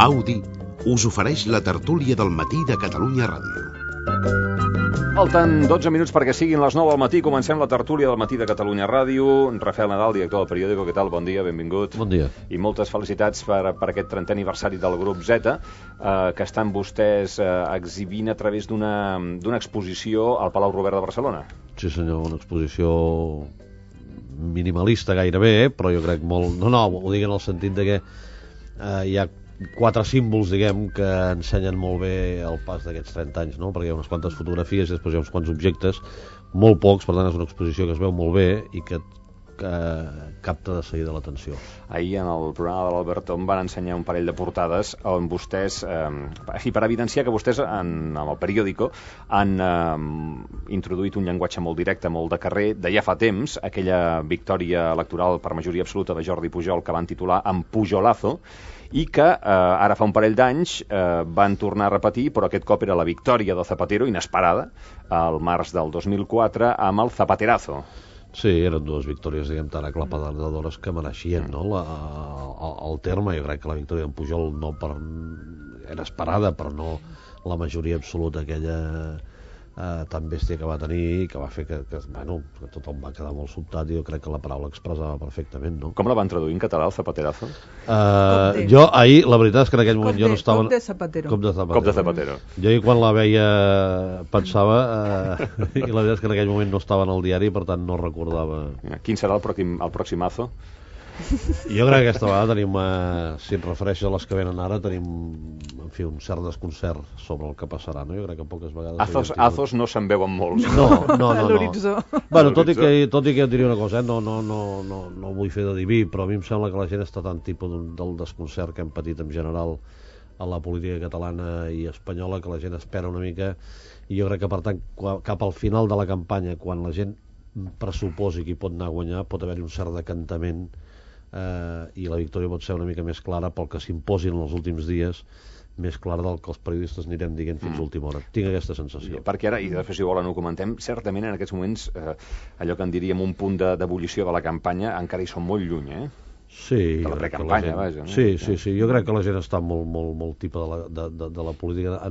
Audi us ofereix la tertúlia del matí de Catalunya Ràdio. Falten 12 minuts perquè siguin les 9 del matí. Comencem la tertúlia del matí de Catalunya Ràdio. Rafael Nadal, director del periòdico, què tal? Bon dia, benvingut. Bon dia. I moltes felicitats per aquest 30è aniversari del grup Z, que estan vostès exhibint a través d'una exposició al Palau Robert de Barcelona. Sí senyor, una exposició minimalista gairebé, però jo crec molt... No, ho dic en el sentit de que hi ha 4 símbols, diguem, que ensenyen molt bé el pas d'aquests 30 anys, no? Perquè hi ha unes quantes fotografies i després hi ha uns quants objectes, molt pocs, per tant és una exposició que es veu molt bé i que capta de seguida l'atenció. Ahir en el programa de l'Albert em van ensenyar un parell de portades on vostès, i per evidenciar que vostès en el periòdico han introduït un llenguatge molt directe, molt de carrer, de ja fa temps, aquella victòria electoral per majoria absoluta de Jordi Pujol que van titular en Pujolazo, i que ara fa un parell d'anys van tornar a repetir, però aquest cop era la victòria de Zapatero, inesperada, al març del 2004, amb el Zapaterazo. Sí, eren dues victòries, diguem, tan aclaparadores que mereixien, no? El terme, jo crec que la victòria d'en Pujol era esperada, però no la majoria absoluta aquella tan bèstia que va tenir i que va fer que tothom va quedar molt sobtat, i jo crec que la paraula expressava perfectament, no? Com la van traduir en català, el Zapaterazo? Jo ahir, la veritat és que en aquell moment jo no estava... Cop de Zapatero. Cop de Zapatero. Jo ahir quan la veia pensava, i la veritat és que en aquell moment no estava en el diari, per tant no recordava... Quin serà el proximazo? Jo crec que aquesta vegada tenim, si et refereixes a les que venen ara, tenim, en fi, un cert desconcert sobre el que passarà, no? Jo crec que poques vegades... Azos no se'n veuen molts. No. L'horitzó. Bueno, tot i que et diria una cosa, no vull fer de diví, però a mi em sembla que la gent està tan tipus del desconcert que hem patit en general a la política catalana i espanyola, que la gent espera una mica, i jo crec que, per tant, cap al final de la campanya, quan la gent pressuposi qui pot anar a guanyar, pot haver-hi un cert decantament, i la victòria pot ser una mica més clara pel que s'imposin en els últims dies, més clara del que els periodistes anirem dient fins a última hora. Tinc aquesta sensació. Perquè ara, i després si volen ho comentem, certament en aquests moments allò que en diríem un punt d'ebullició de la campanya encara hi som molt lluny, Sí, de la precampanya, vaja. Sí, jo crec que la gent està molt tipa de la política.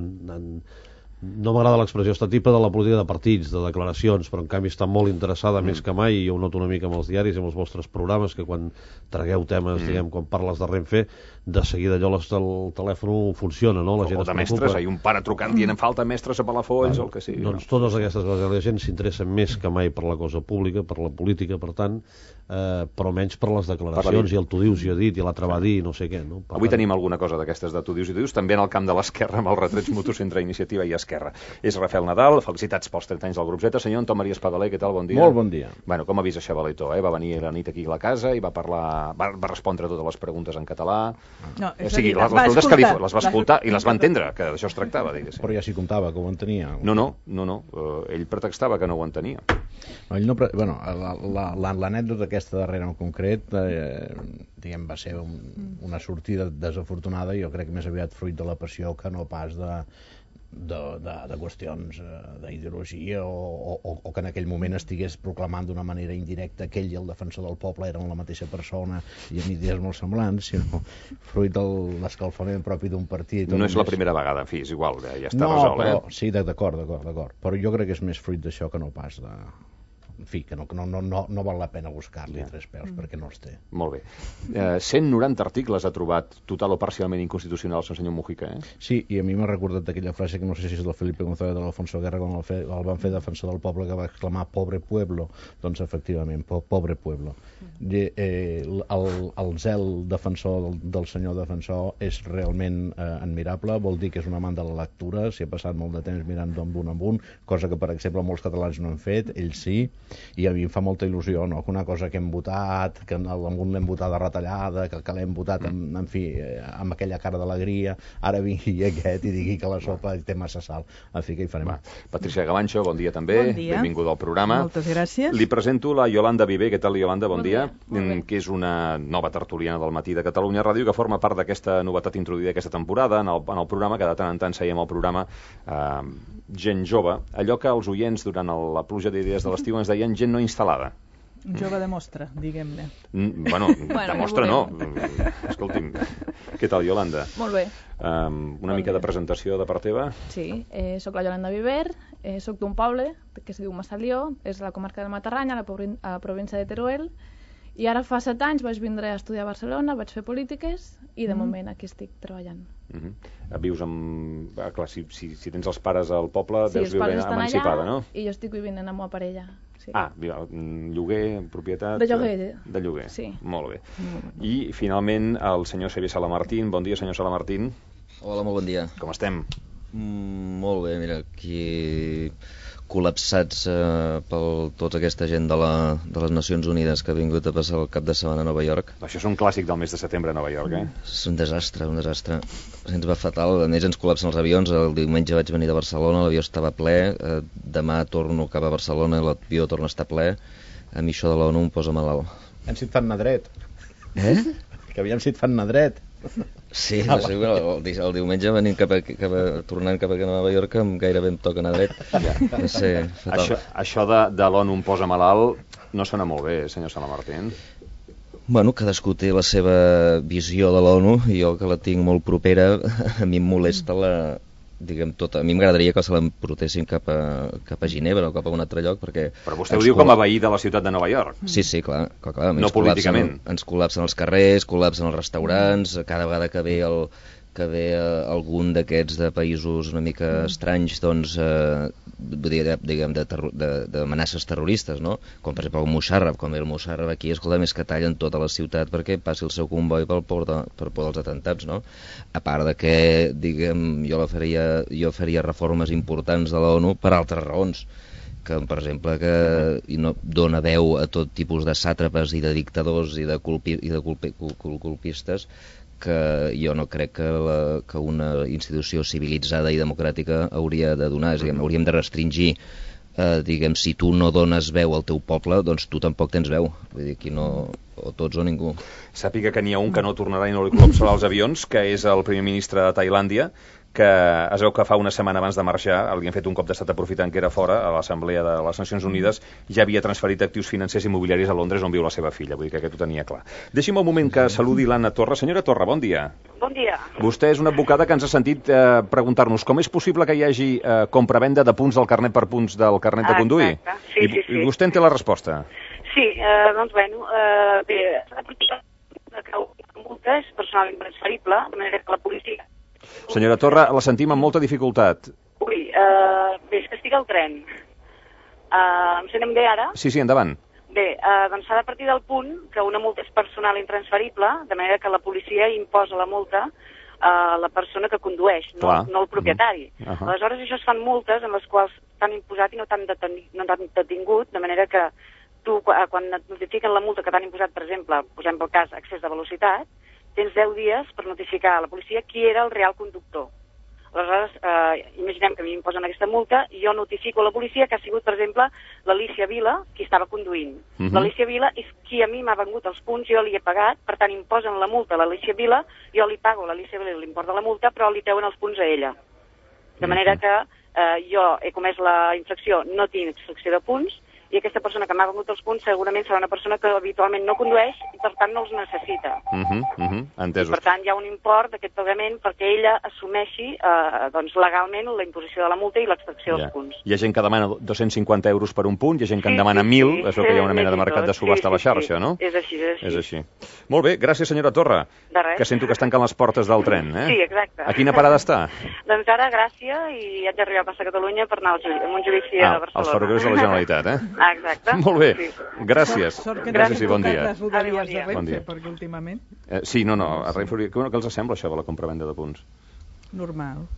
No m'agrada l'expressió, està tipa de la política de partits, de declaracions, però en canvi està molt interessada més que mai, i jo ho noto una mica amb els diaris i amb els vostres programes, que quan tragueu temes, diguem, quan parles de Renfe, de seguida allò el telèfon funciona, no? La gent o de mestres, hi ha un pare trucant dient em falta mestres a Palafolls, o el que sigui. Doncs totes aquestes coses, la gent s'interessa més que mai per la cosa pública, per la política, per tant, però menys per les declaracions, i el tu dius, jo he dit, i l'altre va dir, no sé què, no? Avui tenim alguna cosa d'aquestes de tu dius i tu dius, també en el camp de l'esquerra, amb els retrets mutus entre Iniciativa i Esquerra. És Rafael Nadal, felicitats pels 30 anys del grup Z. Senyor Anton Maria Espadaler, què tal? Bon dia. Molt bon dia. Bueno, com ha vist això, Valetó? Va venir la nit aquí a la casa i va respondre totes les preguntes en català. No, o sigui, les preguntes que les va escoltar i les va entendre, que d'això es tractava, diguéssim. Però ja s'hi comptava, que ho entenia. No. Ell pretextava que no ho entenia. L'anècdota aquesta darrere en concret, diguem, va ser una sortida desafortunada, i jo crec que més aviat fruit de la passió que no pas de qüestions d'ideologia o que en aquell moment estigués proclamant d'una manera indirecta que ell i el defensor del poble eren la mateixa persona i amb idees molt semblants, sinó fruit de l'escalfament propi d'un partit. No és la primera vegada, en fi, és igual, ja està resolt. Però, sí, d'acord, però jo crec que és més fruit d'això que no pas de... En fi, que no val la pena buscar-li tres peus, perquè no els té. Molt bé. 190 articles ha trobat total o parcialment inconstitucionals el senyor Mujica, Sí, i a mi m'ha recordat aquella frase que no sé si és del Felipe González de l'Alfonso Guerra, quan el van fer defensor del poble, que va exclamar pobre pueblo. Doncs efectivament, pobre pueblo. El zel defensor del senyor defensor és realment admirable, vol dir que és un amant de la lectura, s'hi ha passat molt de temps mirant d'on en un, cosa que per exemple molts catalans no han fet, ell sí, i a mi em fa molta il·lusió, no?, que una cosa que hem votat, que amb un l'hem votat de retallada, que l'hem votat en fi, amb aquella cara d'alegria, ara vingui aquest i digui que la sopa té massa sal. En fi, què hi farem? Patricia Gavancho, bon dia també. Bon dia. Benvinguda al programa. Moltes gràcies. Li presento la Yolanda Viver. Què tal, Yolanda? Bon dia. Que és una nova tertuliana del matí de Catalunya Ràdio, que forma part d'aquesta novetat introduïda aquesta temporada en el programa, que de tant en tant seiem al programa gent jove, allò que els oients durant la pluja d'idees de l'estiu ens deien gent no instal·lada. Un jove de mostra, diguem-ne. Bueno, de mostra no. Escolti'm, què tal, Iolanda? Molt bé. Una mica de presentació de part teva? Sí, soc la Iolanda Viver, soc d'un poble que es diu Massalió, és a la comarca del Matarranya, a la província de Teruel, i ara fa 7 anys vaig vindre a estudiar a Barcelona, vaig fer polítiques i de moment aquí estic treballant. Vius amb... Clar, si tens els pares al poble, deus viure emancipada, no? I jo estic vivint amb la meva parella. Sí. Lloguer, propietat... De lloguer. De lloguer, sí. Molt bé. I finalment el senyor Xavier Salamartín. Bon dia, senyor Salamartín. Hola, molt bon dia. Com estem? Molt bé, mira, aquí col·lapsats per tota aquesta gent de les Nacions Unides que ha vingut a passar el cap de setmana a Nova York. Això és un clàssic del mes de setembre a Nova York, És un desastre, un desastre. Ens va fatal, a més ens col·lapsen els avions. El diumenge vaig venir de Barcelona, l'avió estava ple, demà torno cap a Barcelona, l'avió torna a estar ple. A mi això de l'ONU em posa malalt. Aviam si et fan anar dret. Que aviam si et fan anar dret. Sí, no sé, el diumenge venint tornant cap a Nova York gairebé em toca anar dret. No sé, fatal. Això de l'ONU em posa malalt no sona molt bé, senyor Salamartín. Bueno, cadascú té la seva visió de l'ONU i jo que la tinc molt propera, a mi em molesta diguem tota. A mi m'agradaria que se l'emportessin cap a Ginebra o cap a un altre lloc, perquè... Però vostè ho diu com a veí de la ciutat de Nova York. Sí, clar. No políticament. Ens col·lapsen els carrers, col·lapsen els restaurants, cada vegada que ve algun d'aquests de països una mica estranys, doncs, diguem, d'amenaces terroristes, no? Com per exemple el Musharraf, quan ve el Musharraf aquí, escolta, més que tallen tota la ciutat perquè passi el seu comboi per por dels atentats, no? A part de que, diguem, jo faria reformes importants de l'ONU per altres raons, que, per exemple, que no dona veu a tot tipus de sàtrapes i de dictadors i de colpistes, que jo no crec que una institució civilitzada i democràtica hauria de donar. És a dir, hauríem de restringir, diguem, si tu no dones veu al teu poble, doncs tu tampoc tens veu. Vull dir, aquí no, o tots o ningú. Sàpiga que n'hi ha un que no tornarà i no li col·lapsarà els avions, que és el primer ministre de Tailàndia, que es veu que fa una setmana abans de marxar li han fet un cop d'estat aprofitant que era fora a l'Assemblea de les Nacions Unides, ja havia transferit actius financers i immobiliaris a Londres on viu la seva filla, vull dir que aquest ho tenia clar. Deixi'm un moment que saludi l'Anna Torra. Senyora Torra, bon dia. Bon dia. Vostè és una advocada que ens ha sentit preguntar-nos com és possible que hi hagi compravenda de punts del carnet per punts del carnet de conduir. Sí. I vostè en té la resposta. Sí, doncs bueno, bé, multa és personal intransferible, de manera que la policia... Senyora Torra, la sentim amb molta dificultat. Bé, és que estic al tren. Em sentem bé ara? Sí, endavant. Bé, doncs s'ha de partir del punt que una multa és personal intransferible, de manera que la policia imposa la multa a la persona que condueix, no el propietari. Aleshores, això es fan multes en les quals t'han imposat i no t'han detingut, de manera que tu, quan et notifiquen la multa que t'han imposat, per exemple, posem pel cas excés de velocitat, tens 10 dies per notificar a la policia qui era el real conductor. Aleshores, imaginem que a mi m'imposen aquesta multa i jo notifico a la policia que ha sigut, per exemple, l'Alícia Vila qui estava conduint. L'Alícia Vila és qui a mi m'ha vengut els punts, jo li he pagat, per tant imposen la multa a l'Alícia Vila, jo li pago a l'Alícia Vila l'import de la multa, però li treuen els punts a ella. De manera que jo he comès la infracció, no tinc extracció de punts, i aquesta persona que m'ha vengut els punts segurament serà una persona que habitualment no condueix i per tant no els necessita. Entesos. I per tant hi ha un import d'aquest pagament perquè ella assumeixi doncs, legalment la imposició de la multa i l'extracció dels punts. Hi ha gent que demana 250 euros per un punt, hi ha gent que en demana 1.000, és que hi ha una mena de mercat de subhasta a la xarxa, no? És així. Molt bé, gràcies senyora Torra, que sento que es tanquen les portes del tren. Sí, exacte. A quina parada està? Doncs ara a Gràcia i haig d'arribar a passar a Catalunya per anar a un judici a Barcelona. Els ferrocarrils de la Generalitat, Exacte. Molt bé, gràcies. Gràcies i bon dia. Les rodalies de Renfe, perquè últimament... Sí, a Renfe, què els sembla això de la compravenda de punts? Normal.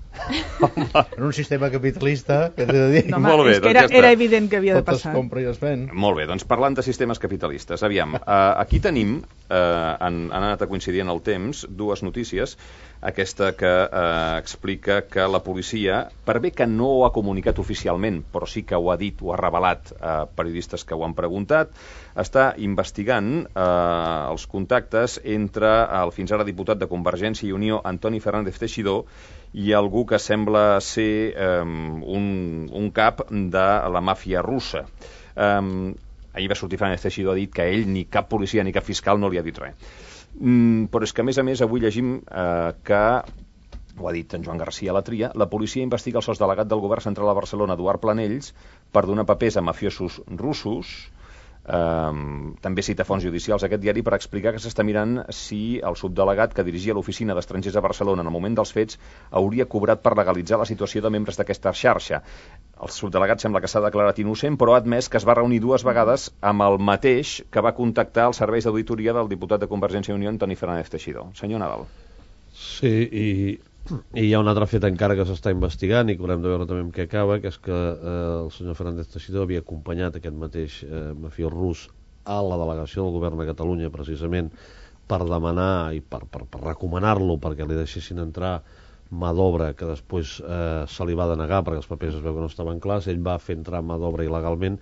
En un sistema capitalista, què t'he de dir? No, molt bé, és que era evident que havia de passar. Tot es compra i es ven. Molt bé, doncs parlant de sistemes capitalistes, aviam, aquí tenim, han anat a coincidir en el temps, dues notícies. Aquesta que explica que la policia, per bé que no ho ha comunicat oficialment, però sí que ho ha dit, ho ha revelat a periodistes que ho han preguntat, està investigant els contactes entre el fins ara diputat de Convergència i Unió, Antoni Fernández Teixidó, i algú que sembla ser un cap de la màfia russa. ahir va sortir Fernández Teixidó, ha dit que ell, ni cap policia ni cap fiscal no li ha dit res. Però és que, a més, avui llegim que, ho ha dit en Joan García a la Tria, la policia investiga el sosdelegat del govern central a Barcelona, Eduard Planells, per donar papers a mafiosos russos. També cita fonts judicials aquest diari per explicar que s'està mirant si el subdelegat que dirigia l'oficina d'estrangers a Barcelona en el moment dels fets hauria cobrat per legalitzar la situació de membres d'aquesta xarxa. El subdelegat sembla que s'ha declarat innocent, però ha admès que es va reunir 2 vegades amb el mateix que va contactar els serveis d'auditoria del diputat de Convergència i Unió, Antoni Fernández Teixidó. Senyor Nadal. Sí, i hi ha un altre fet encara que s'està investigant i que haurem de veure també amb què acaba, que és que el senyor Fernández Teixidó havia acompanyat aquest mateix mafiós rus a la delegació del govern de Catalunya precisament per demanar i per recomanar-lo perquè li deixessin entrar mà d'obra que després se li va denegar perquè els papers es veu que no estaven clars. Ell va fer entrar mà d'obra il·legalment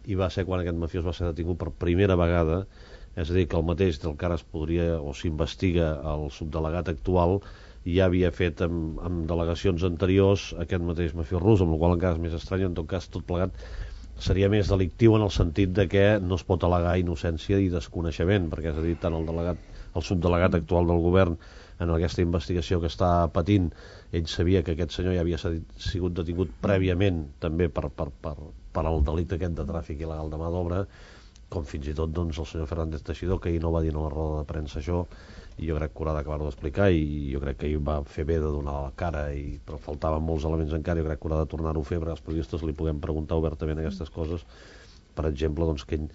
i va ser quan aquest mafiós va ser detingut per primera vegada, és a dir, que el mateix del que ara es podria o s'investiga el subdelegat actual ja havia fet amb delegacions anteriors aquest mateix mafiós rus, amb la qual encara és més estrany. En tot cas, tot plegat seria més delictiu en el sentit de que no es pot al·legar innocència i desconeixement, perquè és a dir, tant el subdelegat actual del govern en aquesta investigació que està patint, ell sabia que aquest senyor ja havia sigut detingut prèviament també per el delicte aquest de tràfic il·legal de mà d'obra, com fins i tot doncs, el senyor Fernández Teixidó, que ahir no va dir a la roda de premsa això, i jo crec que haurà d'acabar-ho d'explicar, i jo crec que ell va fer bé de donar la cara, però faltaven molts elements encara, jo crec que haurà de tornar-ho a fer perquè els periodistes li puguem preguntar obertament aquestes coses. Per exemple, doncs, que ell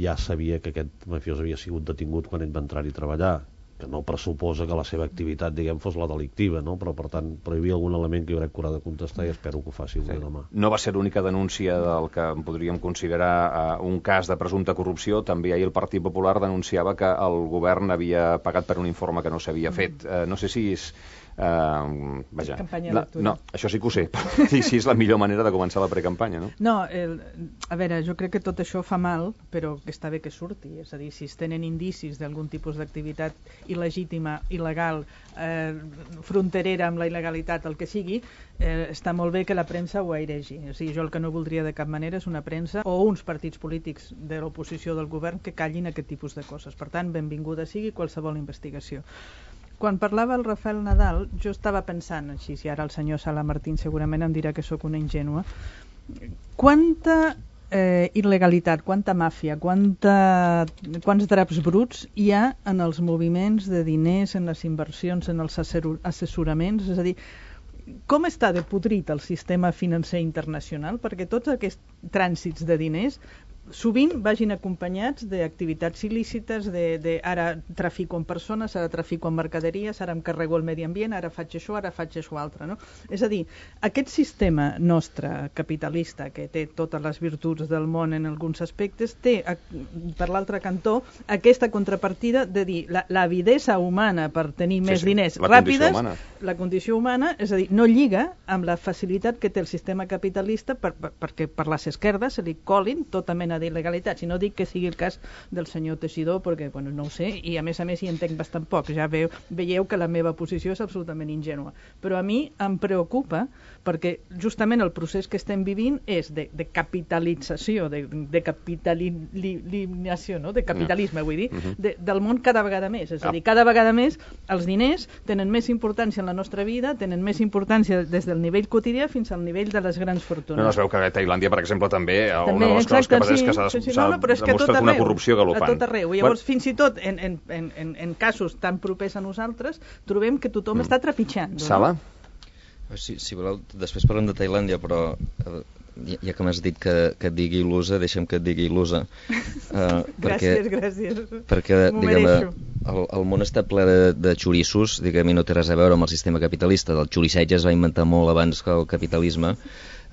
ja sabia que aquest mafiós havia sigut detingut quan ell va entrar-hi a treballar, que no pressuposa que la seva activitat, diguem, fos la delictiva, no? Però, per tant, hi havia algun element que jo crec que haurà de contestar i espero que ho faci demà. No va ser l'única denúncia del que podríem considerar un cas de presumpta corrupció. També ahir el Partit Popular denunciava que el govern havia pagat per un informe que no s'havia fet. No sé si és... vaja, no, això sí que ho sé, però sí, és la millor manera de començar la precampanya, no? No, a veure, jo crec que tot això fa mal, però que està bé que surti, és a dir, si es tenen indicis d'algun tipus d'activitat il·legítima, il·legal, fronterera amb la il·legalitat, el que sigui, està molt bé que la premsa ho airegi. O sigui, jo el que no voldria de cap manera és una premsa o uns partits polítics de l'oposició del govern que callin aquest tipus de coses. Per tant, benvinguda sigui qualsevol investigació. Quan parlava el Rafael Nadal, jo estava pensant així, si ara el senyor Sala Martín segurament em dirà que sóc una ingènua, quanta il·legalitat, quanta màfia, quants draps bruts hi ha en els moviments de diners, en les inversions, en els assessoraments, és a dir, com està de podrit el sistema financer internacional perquè tots aquests trànsits de diners sovint vagin acompanyats d'activitats il·lícites, ara trafico amb persones, ara trafico amb mercaderies, ara em carrego el medi ambient, ara faig això altre, no? És a dir, aquest sistema nostre capitalista, que té totes les virtuts del món en alguns aspectes, té, per l'altre cantó, aquesta contrapartida de dir l'avidesa humana per tenir més diners ràpides, la condició humana, és a dir, no lliga amb la facilitat que té el sistema capitalista perquè per les esquerdes se li colin tota mena d'il·legalitats, i no dic que sigui el cas del senyor Teixidó perquè no ho sé, i a més hi entenc bastant poc, ja veieu que la meva posició és absolutament ingènua, però a mi em preocupa perquè justament el procés que estem vivint és de capitalització, de capitalització, no? De capitalisme, vull dir, del món cada vegada més, és a dir, cada vegada més els diners tenen més importància en la nostra vida, tenen més importància des del nivell quotidià fins al nivell de les grans fortunes. No es veu que a Tailàndia, per exemple, també una de les coses que passa és que s'ha demostrat una corrupció galopant. A tot arreu. Llavors, fins i tot en casos tan propers a nosaltres, trobem que tothom està trepitjant. Sala? Si voleu, després parlem de Tailàndia, però ja que m'has dit que et digui il·lusa, deixa'm que et digui il·lusa. Gràcies. Perquè, diguem, el món està ple de xorissos, diguem, i no té res a veure amb el sistema capitalista. El xorisseig es va inventar molt abans que el capitalisme,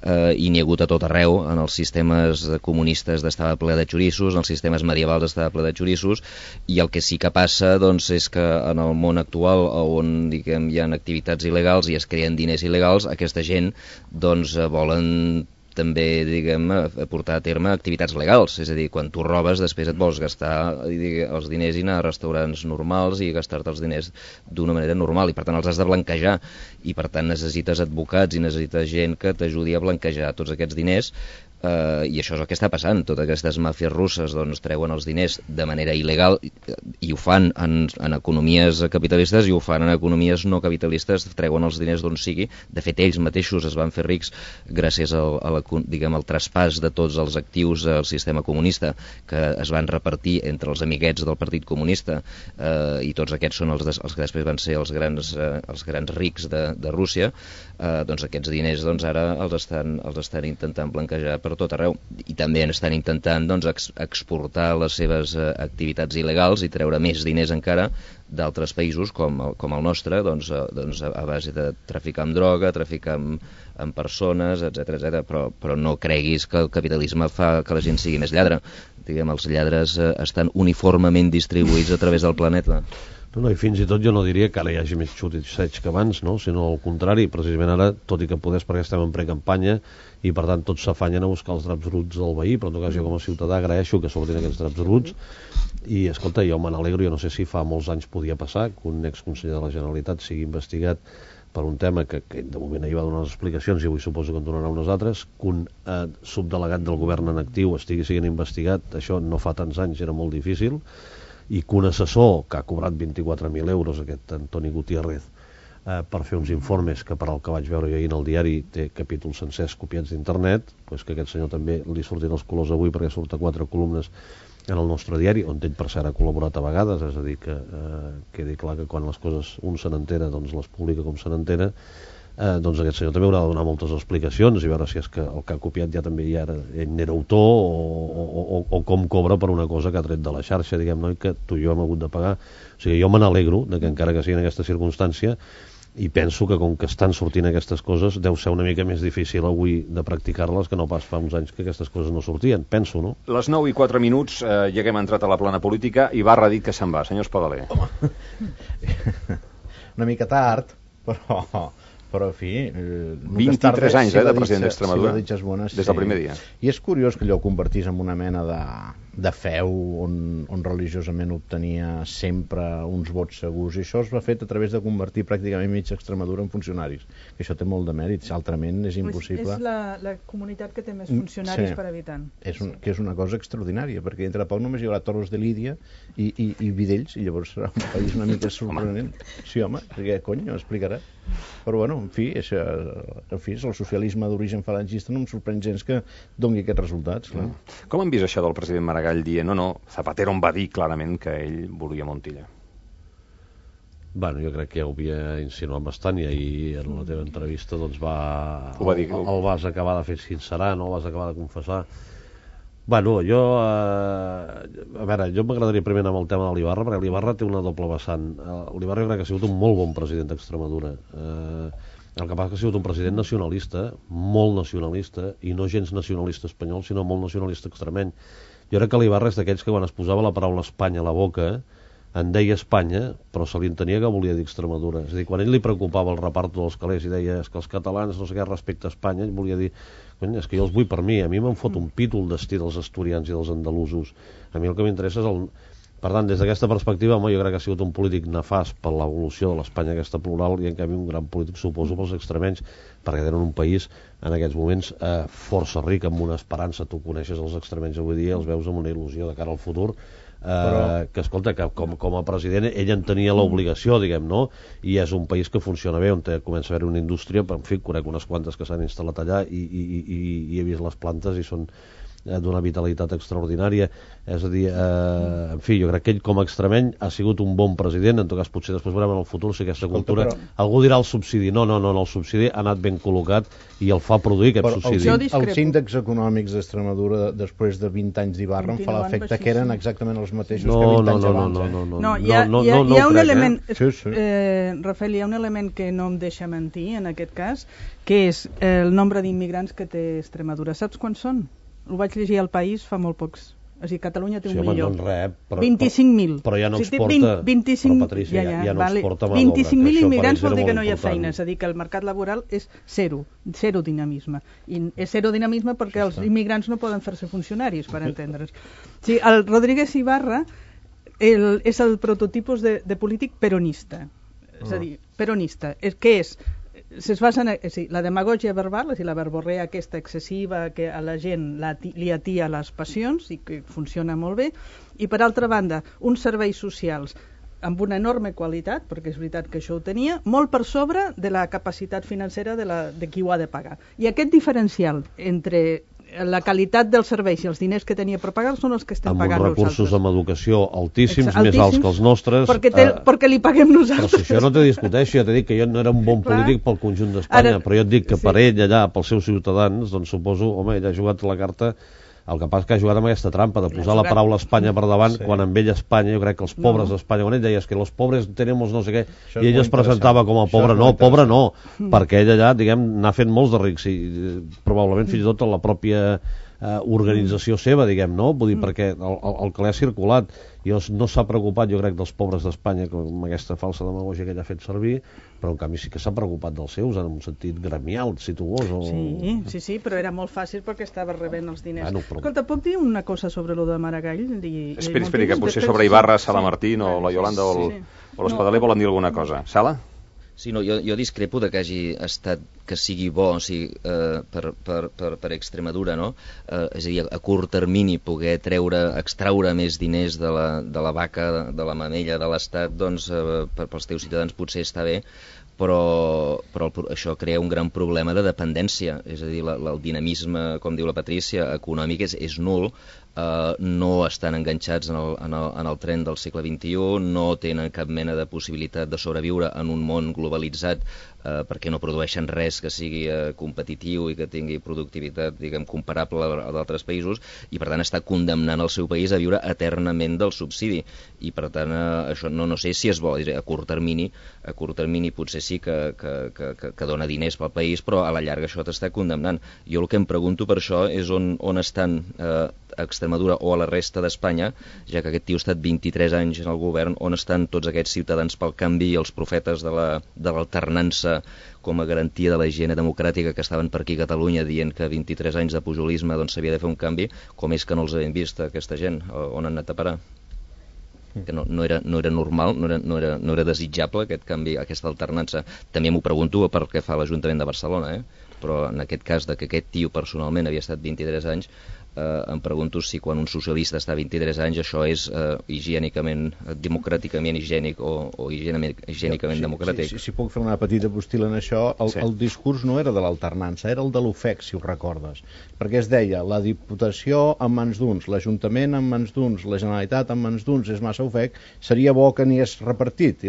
i n'hi ha hagut a tot arreu. En els sistemes comunistes estava ple de xorissos, en els sistemes medievals estava ple de xorissos, i el que sí que passa doncs, és que en el món actual, on diguem, hi ha activitats il·legals i es creen diners il·legals, aquesta gent doncs, volen també, diguem, portar a terme activitats legals, és a dir, quan tu robes després et vols gastar els diners i anar a restaurants normals i gastar-te els diners d'una manera normal, i per tant els has de blanquejar, i per tant necessites advocats i necessites gent que t'ajudi a blanquejar tots aquests diners, I això és el que està passant. Totes aquestes màfies russes doncs, treuen els diners de manera il·legal i ho fan en economies capitalistes i ho fan en economies no capitalistes, treuen els diners d'on sigui. De fet, ells mateixos es van fer rics gràcies al traspàs de tots els actius al sistema comunista que es van repartir entre els amiguets del Partit Comunista, i tots aquests són els que després van ser els grans rics de Rússia. Doncs aquests diners ara els estan intentant blanquejar per tot arreu, i també estan intentant exportar les seves activitats il·legals i treure més diners encara d'altres països com el nostre, a base de traficar amb droga, traficar amb persones, etc. Però no creguis que el capitalisme fa que la gent sigui més lladre. Els lladres estan uniformement distribuïts a través del planeta. No, i fins i tot jo no diria que ara hi hagi més xutitzeig que abans, no? Sinó al contrari, precisament ara, tot i que podés perquè estem en precampanya i per tant tots s'afanyen a buscar els draps bruts del veí, però en tot cas jo com a ciutadà agraeixo que s'obrin aquests draps bruts i escolta, jo me n'alegro, jo no sé si fa molts anys podia passar que un exconseller de la Generalitat sigui investigat per un tema que de moment ahir va donar unes explicacions i avui suposo que en donarà unes altres, que un subdelegat del govern en actiu estigui sent investigat, això no fa tants anys era molt difícil, i que un assessor que ha cobrat 24.000 euros, aquest Antoni Gutiérrez, per fer uns informes que per al que vaig veure jo ahir en el diari té capítols sencers copiats d'internet, doncs que aquest senyor també li surtin els colors avui perquè surt a 4 columnes en el nostre diari, on ell per cert ha col·laborat a vegades, és a dir que quedi clar que quan les coses un se n'entera doncs les publica com se n'entera. Doncs aquest senyor també haurà de donar moltes explicacions i veure si és que el que ha copiat ja també ell n'era autor o com cobra per una cosa que ha tret de la xarxa, diguem-ne, i que tu i jo hem hagut de pagar. O sigui, jo me n'alegro de que encara que sigui en aquesta circumstància, i penso que com que estan sortint aquestes coses deu ser una mica més difícil avui de practicar-les que no pas fa uns anys que aquestes coses no sortien, penso, no? Les 9:04, ja que hem entrat a la plana política, i Ibarra ha dit que se'n va. Senyor Espadaler. Una mica tard, però en fi... 23 anys de president d'Extremadura, des del primer dia. I és curiós que allò ho convertís en una mena de feu on religiosament obtenia sempre uns vots segurs, i això es va fet a través de convertir pràcticament mitja Extremadura en funcionaris, que això té molt de mèrit, altrament és impossible. És la comunitat que té més funcionaris per habitant. Que és una cosa extraordinària, perquè entre poc només hi haurà Toros de Lídia i Vidells, i llavors serà un país una mica sorprenent. Sí, home, perquè cony, ho explicarà. Però bueno, en fi, és el socialisme d'origen falangista, no em sorprèn gens que doni aquests resultats. Clar. Com han vist això del president Maragall dient no, Zapatero em va dir clarament que ell volia Montilla? Bueno, jo crec que ja ho havia insinuat bastant i ahir en la teva entrevista doncs el vas acabar de fer sincerar, no el vas acabar de confessar. Bueno, a veure, jo m'agradaria primer anar amb el tema de l'Ibarra, perquè l'Ibarra té una doble vessant. L'Ibarra jo crec que ha sigut un molt bon president d'Extremadura. El que passa que ha sigut un president nacionalista, molt nacionalista, i no gens nacionalista espanyol, sinó molt nacionalista extremeny. Jo crec que l'Ibarra és d'aquells que quan es posava la paraula Espanya a la boca, en deia Espanya, però se li entenia que volia dir Extremadura. És a dir, quan ell li preocupava el reparto dels calés i deia que els catalans no sé què respecte a Espanya, ell volia dir, és que jo els vull per mi me'n fot un pítol destí dels asturians i dels andalusos. A mi el que m'interessa és el... Per tant, des d'aquesta perspectiva, jo crec que ha sigut un polític nefast per l'evolució de l'Espanya aquesta plural i en canvi un gran polític, suposo, pels extremenys, perquè tenen un país en aquests moments força ric, amb una esperança. Tu coneixes els extremenys avui dia, els veus amb una il·lusió de cara al futur, que escolta, que com a president ell en tenia l'obligació, diguem, no? I és un país que funciona bé, on comença a haver una indústria, en fi, conec unes quantes que s'han instal·lat allà i he vist les plantes i són d'una vitalitat extraordinària. És a dir, en fi, jo crec que ell com a extremeny ha sigut un bon president. En tot cas potser després veurem en el futur si aquesta cultura, algú dirà el subsidi, no, el subsidi ha anat ben col·locat i el fa produir aquest subsidi. Els índexs econòmics d'Extremadura després de 20 anys d'Ibarra em fa l'efecte que eren exactament els mateixos que 20 anys abans. No, hi ha un element, Rafael, hi ha un element que no em deixa mentir en aquest cas, que és el nombre d'immigrants que té Extremadura. Saps quants són? Ho vaig llegir al País fa molt pocs. O sigui, Catalunya té 1 milió. 25.000. Però ja no exporta, 25, però Patricia, ja no exporta mà d'obra. 25.000 immigrants vol dir que no hi ha feina, és a dir, que el mercat laboral és zero dinamisme. I és zero dinamisme perquè els immigrants no poden fer-se funcionaris, per entendre's. Sí, el Rodríguez Ibarra és el prototipus de polític peronista. És a dir, peronista. Què és? la demagògia verbal, la verborrea aquesta excessiva que a la gent li atia les passions i que funciona molt bé, i per altra banda, uns serveis socials amb una enorme qualitat, perquè és veritat que això ho tenia, molt per sobre de la capacitat financera de qui ho ha de pagar. I aquest diferencial entre la qualitat dels serveis i els diners que tenia per pagar són els que estem pagant nosaltres. Amb uns recursos amb educació altíssims, més alts que els nostres. Perquè li paguem nosaltres. Però si això no te discuteixo, ja t'he dit que jo no era un bon polític pel conjunt d'Espanya, però jo et dic que per ell allà, pels seus ciutadans, doncs suposo, home, ell ha jugat la carta. El que passa que ha jugat amb aquesta trampa de posar la paraula Espanya per davant, quan amb ell Espanya, jo crec que els pobres d'Espanya, quan ell deia que els pobres tenemos no sé què, i ell es presentava com a pobre no, perquè ell allà, diguem, n'ha fet molts de rics, i probablement fins i tot la pròpia organització seva, diguem, no? Vull dir, perquè el que l'ha circulat no s'ha preocupat, jo crec, dels pobres d'Espanya amb aquesta falsa demagògia que ell ha fet servir, però en canvi sí que s'ha preocupat dels seus en un sentit gremial, situós. Sí, però era molt fàcil perquè estava rebent els diners. Escolta, puc dir una cosa sobre lo de Maragall? Esperi, que potser sobre Ibarra, Sala Martín o la Yolanda o l'Espadaler volen dir alguna cosa. Sala? Sí, no, jo discrepo de que hagi estat, que sigui bo, o sigui, per Extremadura, no? És a dir, a curt termini poder extraure més diners de la vaca, de la mamella de l'Estat, doncs pels teus ciutadans potser està bé, però això crea un gran problema de dependència, és a dir, el dinamisme, com diu la Patrícia, econòmic és nul, no estan enganxats en el tren del segle XXI, no tenen cap mena de possibilitat de sobreviure en un món globalitzat perquè no produeixen res que sigui competitiu i que tingui productivitat, diguem, comparable a d'altres països, i per tant està condemnant el seu país a viure eternament del subsidi, i per tant això no sé si és bo, a curt termini potser sí que dona diners pel país, però a la llarga això t'està condemnant. Jo el que em pregunto per això és on estan a Extremadura o a la resta d'Espanya, ja que aquest tio ha estat 23 anys en el govern, on estan tots aquests ciutadans pel canvi i els profetes de l'alternança com a garantia de la higiene democràtica que estaven per aquí a Catalunya dient que 23 anys de pujolisme doncs s'havia de fer un canvi, com és que no els hem vist aquesta gent, on han anat a parar? Que no era normal, no era desitjable aquest canvi, aquesta alternança. També m'ho pregunto per què fa l'Ajuntament de Barcelona, però en aquest cas de que aquest tio personalment havia estat 23 anys, em pregunto si quan un socialista està 23 anys això és higiènicament, democràticament higiènic o higiènicament democràtic. Si puc fer una petita postila en això, el discurs no era de l'alternança, era el de l'ofec, si ho recordes, perquè es deia la Diputació en mans d'uns, l'Ajuntament en mans d'uns, la Generalitat en mans d'uns és massa ofec, seria bo que n'hi hagués repartit,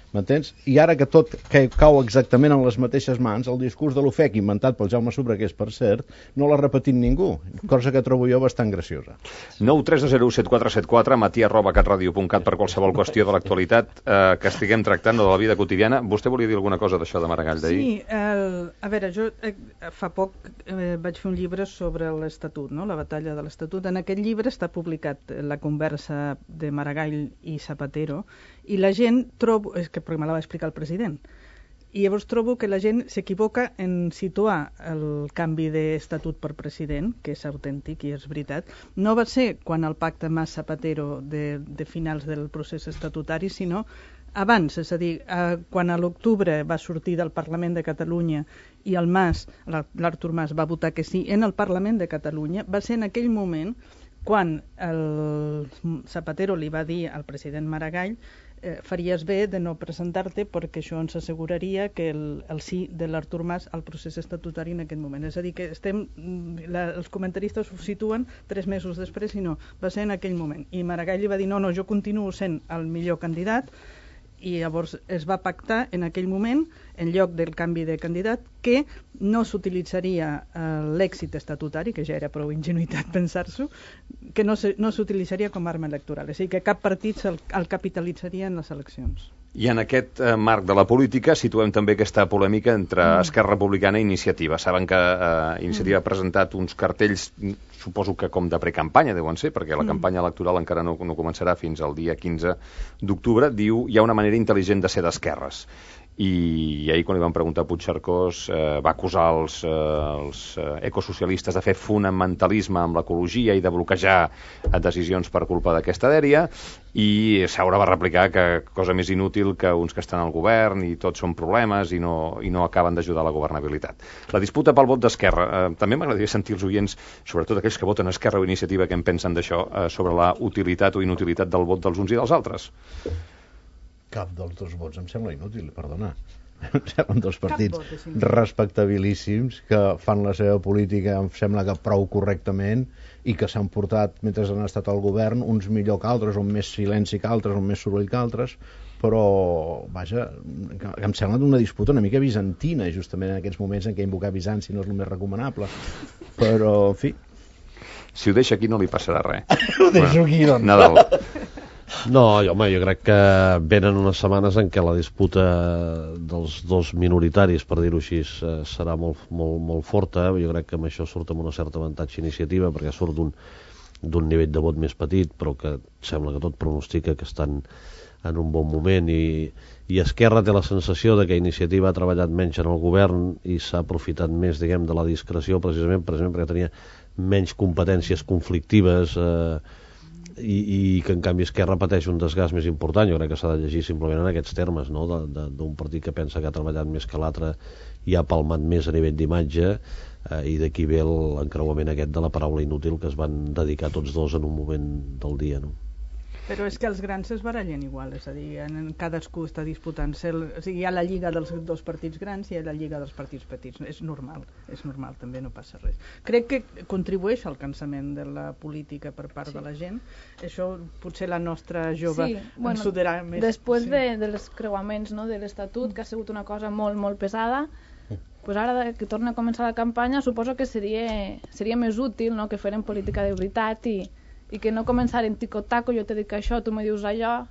m'entens? I ara que tot cau exactament en les mateixes mans, el discurs de l'ofec inventat pel Jaume Sobregués, per cert, no l'ha repetit ningú, cosa que trobo jo bastant graciosa. 9307474, matí@catradio.cat per qualsevol qüestió de l'actualitat que estiguem tractant de la vida quotidiana. Vostè volia dir alguna cosa d'això de Maragall d'ahir? Sí, a veure, jo fa poc vaig fer un llibre sobre l'Estatut, no? La batalla de l'Estatut. En aquest llibre està publicat la conversa de Maragall i Zapatero, i la gent trobo, és que perquè me la va explicar el president, i llavors trobo que la gent s'equivoca en situar el canvi d'estatut per president, que és autèntic i és veritat. No va ser quan el pacte Mas-Zapatero de finals del procés estatutari, sinó abans, és a dir, quan a l'octubre va sortir del Parlament de Catalunya i el Mas, l'Artur Mas, va votar que sí en el Parlament de Catalunya, va ser en aquell moment quan el Zapatero li va dir al president Maragall faries bé de no presentar-te perquè això ens asseguraria que el sí de l'Artur Mas al procés estatutari en aquest moment. És a dir, que els comentaristes ho situen 3 mesos després i no, va ser en aquell moment. I Maragall li va dir no, jo continuo sent el millor candidat, i llavors es va pactar en aquell moment, en lloc del canvi de candidat, que no s'utilitzaria l'èxit estatutari, que ja era prou ingenuïtat pensar-s'ho, que no s'utilitzaria com a arma electoral, és a dir, que cap partit el capitalitzaria en les eleccions. I en aquest marc de la política situem també aquesta polèmica entre Esquerra Republicana i Iniciativa. Saben que Iniciativa ha presentat uns cartells, suposo que com de precampanya deuen ser, perquè la campanya electoral encara no començarà fins al dia 15 d'octubre. Diu, hi ha una manera intel·ligent de ser d'esquerres. i ahir quan li van preguntar a Puigcercós va acusar els ecosocialistes de fer fonamentalisme amb l'ecologia i de bloquejar decisions per culpa d'aquesta dèria, i Saura va replicar que cosa més inútil que uns que estan al govern i tots són problemes i no acaben d'ajudar a la governabilitat. La disputa pel vot d'Esquerra, també m'agradaria sentir els oients, sobretot aquells que voten Esquerra o Iniciativa, què en pensen d'això, sobre la utilitat o inutilitat del vot dels uns i dels altres. Cap dels dos vots em sembla inútil, perdona. Em semblen dos partits respectabilíssims que fan la seva política, em sembla que prou correctament, i que s'han portat, mentre han estat al govern, uns millor que altres, on més silenci que altres, on més soroll que altres, però, vaja, em sembla una disputa una mica bizantina, justament en aquests moments en què invocar Bizanci no és el més recomanable. Però, en fi... Si ho deixa aquí no li passarà res. Ho deixo aquí, doncs. Nadal. No, home, jo crec que venen unes setmanes en què la disputa dels dos minoritaris, per dir-ho així, serà molt forta. Jo crec que amb això surt amb una certa avantatge Iniciativa, perquè surt d'un nivell de vot més petit, però que sembla que tot pronostica que estan en un bon moment, i Esquerra té la sensació de que Iniciativa ha treballat menys en el govern i s'ha aprofitat més, diguem, de la discreció, precisament perquè tenia menys competències conflictives, i que en canvi Esquerra pateix un desgast més important. Jo crec que s'ha de llegir simplement en aquests termes, no? D'un partit que pensa que ha treballat més que l'altre i ha palmat més a nivell d'imatge, i d'aquí ve l'encreuament aquest de la paraula inútil que es van dedicar tots dos en un moment del dia, no? Però és que els grans es barallen igual, és a dir, cadascú està disputant-se, o sigui, hi ha la lliga dels dos partits grans i hi ha la lliga dels partits petits, és normal, també no passa res. Crec que contribueix al cansament de la política per part de la gent, això potser la nostra jove ens ho dirà més. Després dels creuaments, no, de l'Estatut, que ha sigut una cosa molt, molt pesada, pues ara que torna a començar la campanya suposo que seria més útil, no, que feren política de veritat i que no començaren tico-taco, jo te dic això, tu me dius allò.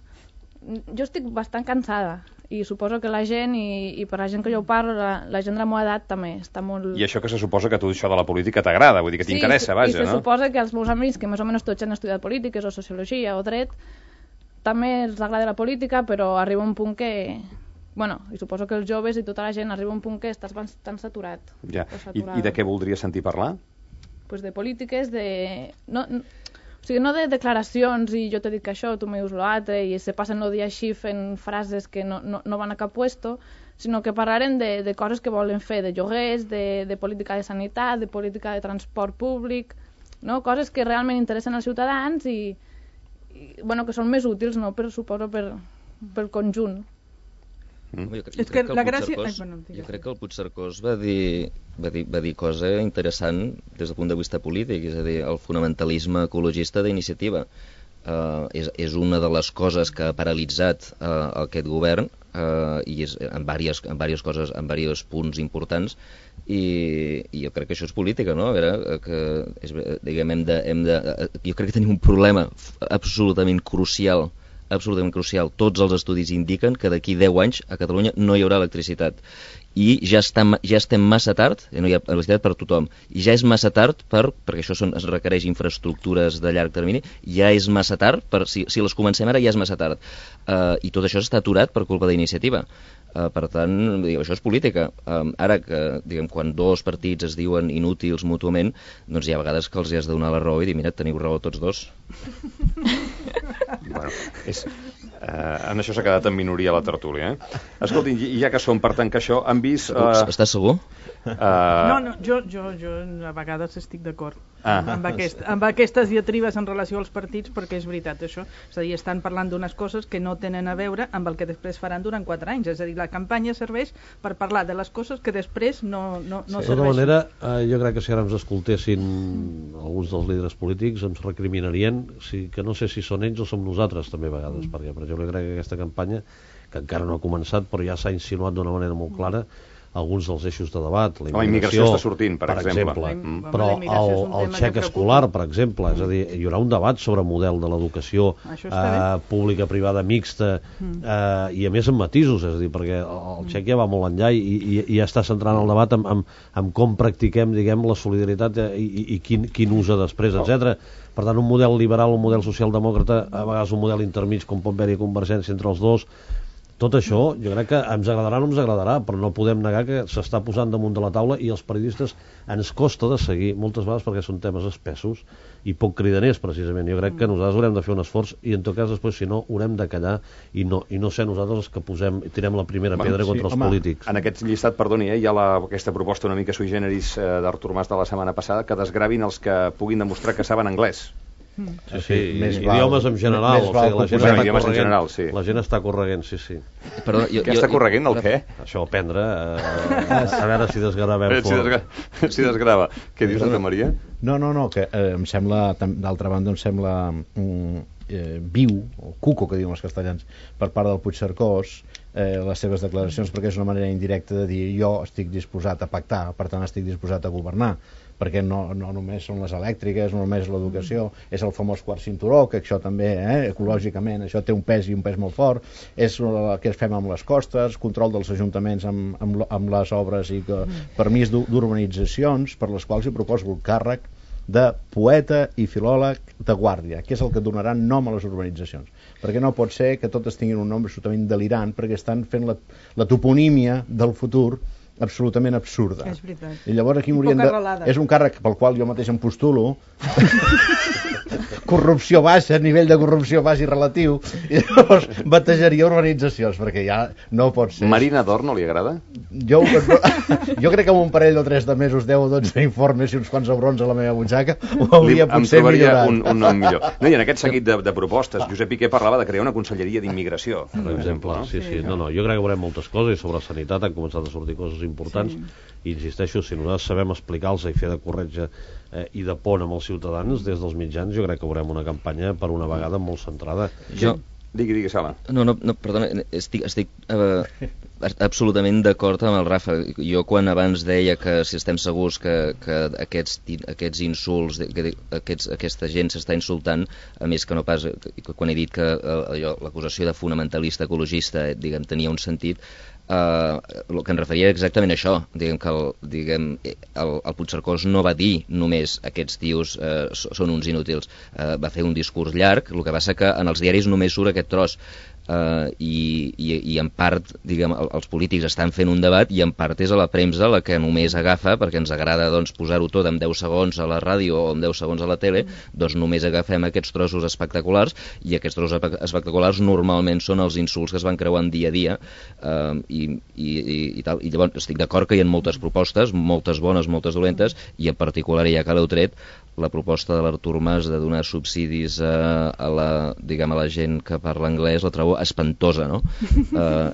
Jo estic bastant cansada i suposo que la gent, i per la gent que jo parlo, la gent de la meva edat també està molt... I això que se suposa que tu això de la política t'agrada, vull dir que t'interessa, vaja, no? Sí, i se suposa que els meus amics, que més o menys tots han estudiat polítiques o sociologia o dret, també els agrada la política, però arriba un punt que... Bueno, i suposo que els joves i tota la gent arriba un punt que estàs bastant saturat. Ja. I de què voldries sentir parlar? Pues de polítiques, o sigui, no de declaracions i jo te dic això, tu me dius l'altre, i se passen el dia així fent frases que no van a cap puesto, sinó que parlarem de coses que volen fer, de lloguers, de política de sanitat, de política de transport públic, no? Coses que realment interessen als ciutadans i bueno, que són més útils, no? Suposo pel conjunt. Jo crec que el Puigcercós va dir cosa interessant des del punt de vista polític, és a dir, el fonamentalisme ecologista d'Iniciativa és una de les coses que ha paralitzat aquest govern, i és en diverses coses, en diversos punts importants, i jo crec que això és política, no? A veure, diguem, jo crec que tenim un problema absolutament crucial. Tots els estudis indiquen que d'aquí 10 anys a Catalunya no hi haurà electricitat, i ja estem massa tard, no hi ha electricitat per tothom, i ja és massa tard perquè això es requereix infraestructures de llarg termini, ja és massa tard, si les comencem ara ja és massa tard, i tot això està aturat per culpa d'Iniciativa. Per tant, això és política. Ara que, diguem, quan dos partits es diuen inútils mútuament, doncs hi ha vegades que els has de donar la raó i dir, mira, teniu raó tots dos. Bueno, en això s'ha quedat en minoria la tertúlia, Escolti, i ja que som per tancar això, han vist... Estàs segur? No, jo a vegades estic d'acord amb aquestes diatribes en relació als partits, perquè és veritat això, és a dir, estan parlant d'unes coses que no tenen a veure amb el que després faran durant 4 anys, és a dir, la campanya serveix per parlar de les coses que després no serveixen. De tota manera, jo crec que si ara ens escoltessin alguns dels líders polítics ens recriminarien que no sé si són ells o som nosaltres també a vegades, perquè per exemple crec que aquesta campanya, que encara no ha començat però ja s'ha insinuat d'una manera molt clara alguns dels eixos de debat, la immigració està sortint, per exemple. Però el xec escolar, per exemple, és a dir, hi haurà un debat sobre model de l'educació pública, privada, mixta, i a més amb matisos, és a dir, perquè el xec ja va molt enllà i ja està centrant el debat en com practiquem, diguem, la solidaritat i quin usa després, etc. Per tant, un model liberal, un model socialdemòcrata, a vegades un model intermig, com pot haver-hi convergència entre els dos, Tot això, jo crec que ens agradarà o no ens agradarà, però no podem negar que s'està posant damunt de la taula i els periodistes ens costa de seguir moltes vegades perquè són temes espessos i poc cridaners, precisament. Jo crec que nosaltres haurem de fer un esforç i, en tot cas, després, si no, haurem de callar i no ser nosaltres els que tirem la primera pedra contra els polítics. En aquest llistat, perdoni, hi ha aquesta proposta una mica sui generis d'Artur Mas de la setmana passada, que desgravin els que puguin demostrar que saben anglès. Sí, idiomes en general, la gent està correguent, sí. Què està correguent, el què? Això, aprendre, a veure si desgravem fort. Si desgrava. Què dius, Santa Maria? No, que em sembla, d'altra banda, em sembla viu, o cuco, que diuen els castellans, per part del Puigcercós, les seves declaracions, perquè és una manera indirecta de dir jo estic disposat a pactar, per tant estic disposat a governar, perquè no només són les elèctriques, no només l'educació, és el famós quart cinturó, que això també, ecològicament, això té un pes i un pes molt fort, és el que fem amb les costes, control dels ajuntaments amb les obres i permís d'urbanitzacions, per les quals hi proposo el càrrec de poeta i filòleg de guàrdia, que és el que donarà nom a les urbanitzacions. Perquè no pot ser que totes tinguin un nom absolutament delirant, perquè estan fent la toponímia del futur absolutament absurda. És veritat. I llavors aquí és un càrrec pel qual jo mateix em postulo, corrupció baixa, nivell de corrupció baix i relatiu, i llavors batejaria urbanitzacions, perquè ja no pot ser. Marina d'Or no li agrada? Jo crec que amb un parell o 3 de mesos, 10 o 12 informes i uns quants abrons a la meva butxaca ho hauria potser millorat. Un nom millor. No, i en aquest seguit de propostes, Josep Piqué parlava de crear una conselleria d'immigració, per exemple. Sí. No, jo crec que veurem moltes coses i sobre sanitat han començat a sortir coses importants i insisteixo, si nosaltres sabem explicar-los i fer de corretja i de pont amb els ciutadans des dels mitjans, jo crec que veurem una campanya per una vegada molt centrada. Digui, Sala. No, perdona, estic absolutament d'acord amb el Rafa. Jo quan abans deia que si estem segurs que aquests insults, aquesta gent s'està insultant, a més que no pas, quan he dit que l'acusació de fonamentalista ecologista, diguem, tenia un sentit, el que em referia exactament a això, diguem que el Puigcercós no va dir només aquests tios són uns inútils, va fer un discurs llarg, el que passa que en els diaris només surt aquest tros, i en part, diguem, els polítics estan fent un debat i en part és a la premsa la que només agafa, perquè ens agrada doncs, posar-ho tot en 10 segons a la ràdio o en 10 segons a la tele, doncs només agafem aquests trossos espectaculars i aquests trossos espectaculars normalment són els insults que es van creuant dia a dia, i tal. I llavors estic d'acord que hi ha moltes propostes, moltes bones, moltes dolentes, i en particular, ja que l'heu tret, la proposta de l'Artur Mas de donar subsidis a la gent que parla anglès la trobo espantosa, no?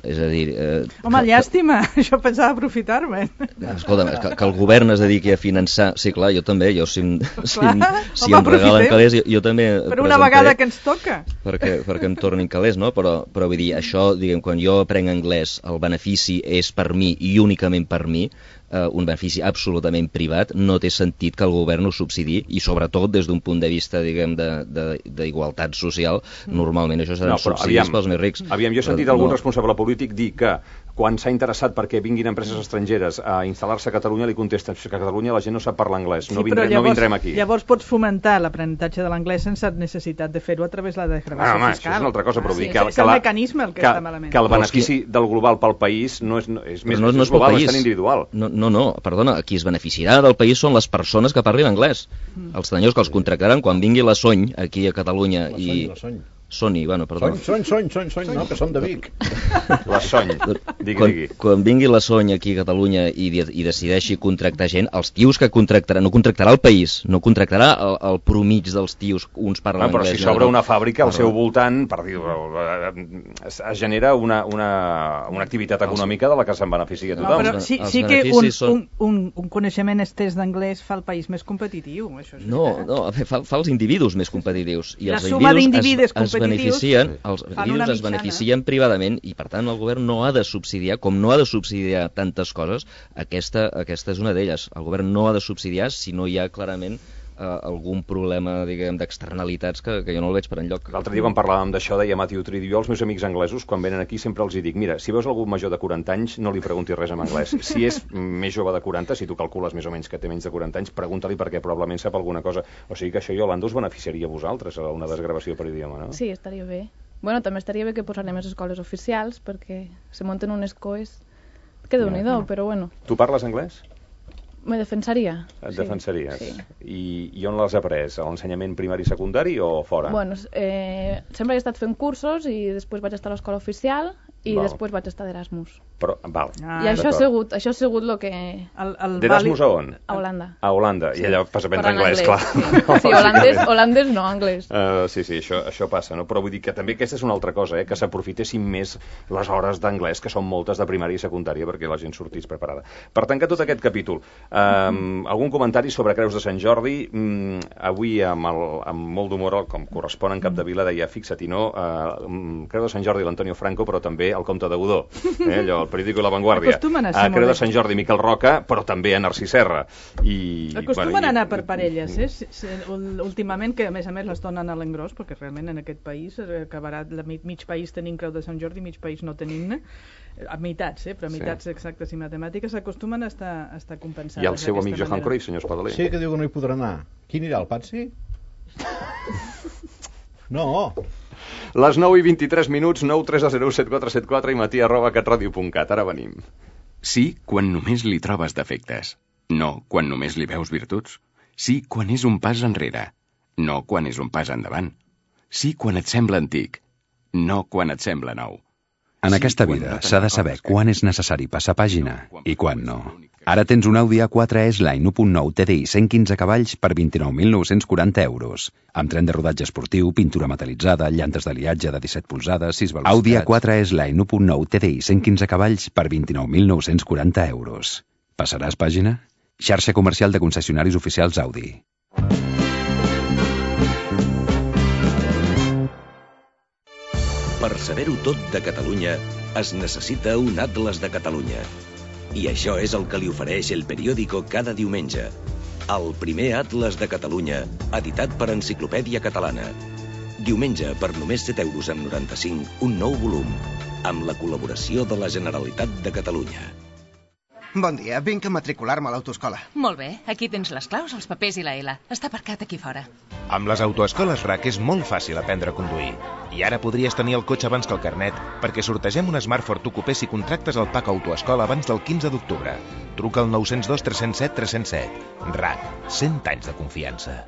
És a dir... Home, llàstima, això pensava aprofitar-me. Escolta'm, que el govern es dediqui a finançar... Sí, clar, jo també, si em regalen calés, jo també... Per una vegada que ens toca. Perquè em tornin calés, no? Però vull dir, això, diguem, quan jo aprenc anglès, el benefici és per mi i únicament per mi, un benefici absolutament privat, no té sentit que el govern ho subsidi, i sobretot des d'un punt de vista, diguem, d'igualtat social, normalment això seran subsidis pels més rics. Jo he sentit algun responsable polític dir que quan s'ha interessat perquè vinguin empreses estrangeres a instal·lar-se a Catalunya li contesten que a Catalunya la gent no sap parlar anglès, no vindrem aquí. Llavors pots fomentar l'aprenentatge de l'anglès sense necessitat de fer-ho a través de la desgravació fiscal. Això és una altra cosa, però vull dir és el mecanisme el que està malament. Que el benefici del global pel país no és més global, és tan individual. No, perdona, qui es beneficiarà del país són les persones que parlin anglès. Els senyors que els contractaran quan vingui la Sony aquí a Catalunya i... Sony, bueno, perdó. Sony, no, que són de Vic. La Sony, digui. Quan vingui la Sony aquí a Catalunya i decideixi contractar gent, els tios que contractarà, no contractarà el país, no contractarà el promig dels tios, uns parlen anglès. Però si s'obre una fàbrica al seu voltant, es genera una activitat econòmica de la que se'n beneficia tothom. Però sí que un coneixement estès d'anglès fa el país més competitiu. No, fa els individus més competitius. La suma d'individus competitius els individus es beneficien privadament i per tant el govern no ha de subsidiar, com no ha de subsidiar tantes coses, aquesta és una d'elles. El govern no ha de subsidiar si no hi ha clarament algun problema, diguem, d'externalitats que jo no el veig per enlloc. L'altre dia quan parlàvem d'això deia Matthew Tridio, jo als meus amics anglesos quan venen aquí sempre els dic, mira, si veus algú major de 40 anys no li preguntis res en anglès, si és més jove de 40, si tu calcules més o menys que té menys de 40 anys, pregunta-li perquè probablement sap alguna cosa, o sigui que això, Iolanda, us beneficiaria a vosaltres, una desgravació per idioma, no? Sí, estaria bé. Bueno, també estaria bé que posarem les escoles oficials, perquè se munten unes coes que déu-n'hi-do, però bueno. Tu parles anglès? Me defensaria. Et defensaries? Sí. I on l'has après? A l'ensenyament primari i secundari o fora? Bueno, sempre he estat fent cursos i després vaig estar a l'escola oficial i després vaig estar d'Erasmus. Però, val. I això ha sigut el que... D'Erasmus a on? A Holanda. A Holanda, i allà vas aprendre anglès, clar. Sí, holandès no, anglès. Sí, això passa, no? Però vull dir que també aquesta és una altra cosa, que s'aprofitessin més les hores d'anglès, que són moltes de primària i secundària, perquè la gent sortís preparada. Per tancar tot aquest capítol, algun comentari sobre Creus de Sant Jordi? Avui, amb molt d'humor, com correspon en Capdevila, deia, fixa't, i no, Creu de Sant Jordi l'Antonio Franco, però també el Comte de Godó, allò, el periòdico La Vanguardia. Acostumen a ser Creu de Sant Jordi Miquel Roca, però també a Narcís Serra. Acostumen a anar per parelles, últimament, que a més les donen a l'engròs, perquè realment en aquest país acabarà mig país tenint Creu de Sant Jordi, mig país no tenint-ne, a meitats, però a meitats exactes i matemàtiques s'acostumen a estar compensades. I el seu amic Johan Cruyff, senyor Espadaler? Sí, que diu que no hi podrà anar. Qui anirà, el Patsi? No. Les 9:23, 930074744 i matí@catradio.cat. Ara venim. Sí, quan només li trobes defectes. No, quan només li veus virtuts. Sí, quan és un pas enrere. No, quan és un pas endavant. Sí, quan et sembla antic. No, quan et sembla nou. En aquesta vida s'ha de saber quan és necessari passar pàgina i quan no. Ara tens un Audi A4 S-Line 1.9 TDI 115 cavalls per 29.940 euros. Amb tren de rodatge esportiu, pintura metalitzada, llantes d'aliatge de 17 polzades, 6 velocitats... Audi A4 S-Line 1.9 TDI 115 cavalls per 29.940 euros. Passaràs pàgina? Xarxa comercial de concessionaris oficials Audi. Per saber-ho tot de Catalunya, es necessita un atles de Catalunya. I això és el que li ofereix el periòdico cada diumenge. El primer atles de Catalunya, editat per Enciclopèdia Catalana. Diumenge, per només 7,95 €, un nou volum, amb la col·laboració de la Generalitat de Catalunya. Bon dia, vinc a matricular-me a l'autoescola. Molt bé, aquí tens les claus, els papers i la L. Està aparcat aquí fora. Amb les autoescoles RAC és molt fàcil aprendre a conduir. I ara podries tenir el cotxe abans que el carnet, perquè sortegem un Smart Ford Coupé si contractes el PAC Autoescola abans del 15 d'octubre. Truca al 902 307 307. RAC, 100 anys de confiança.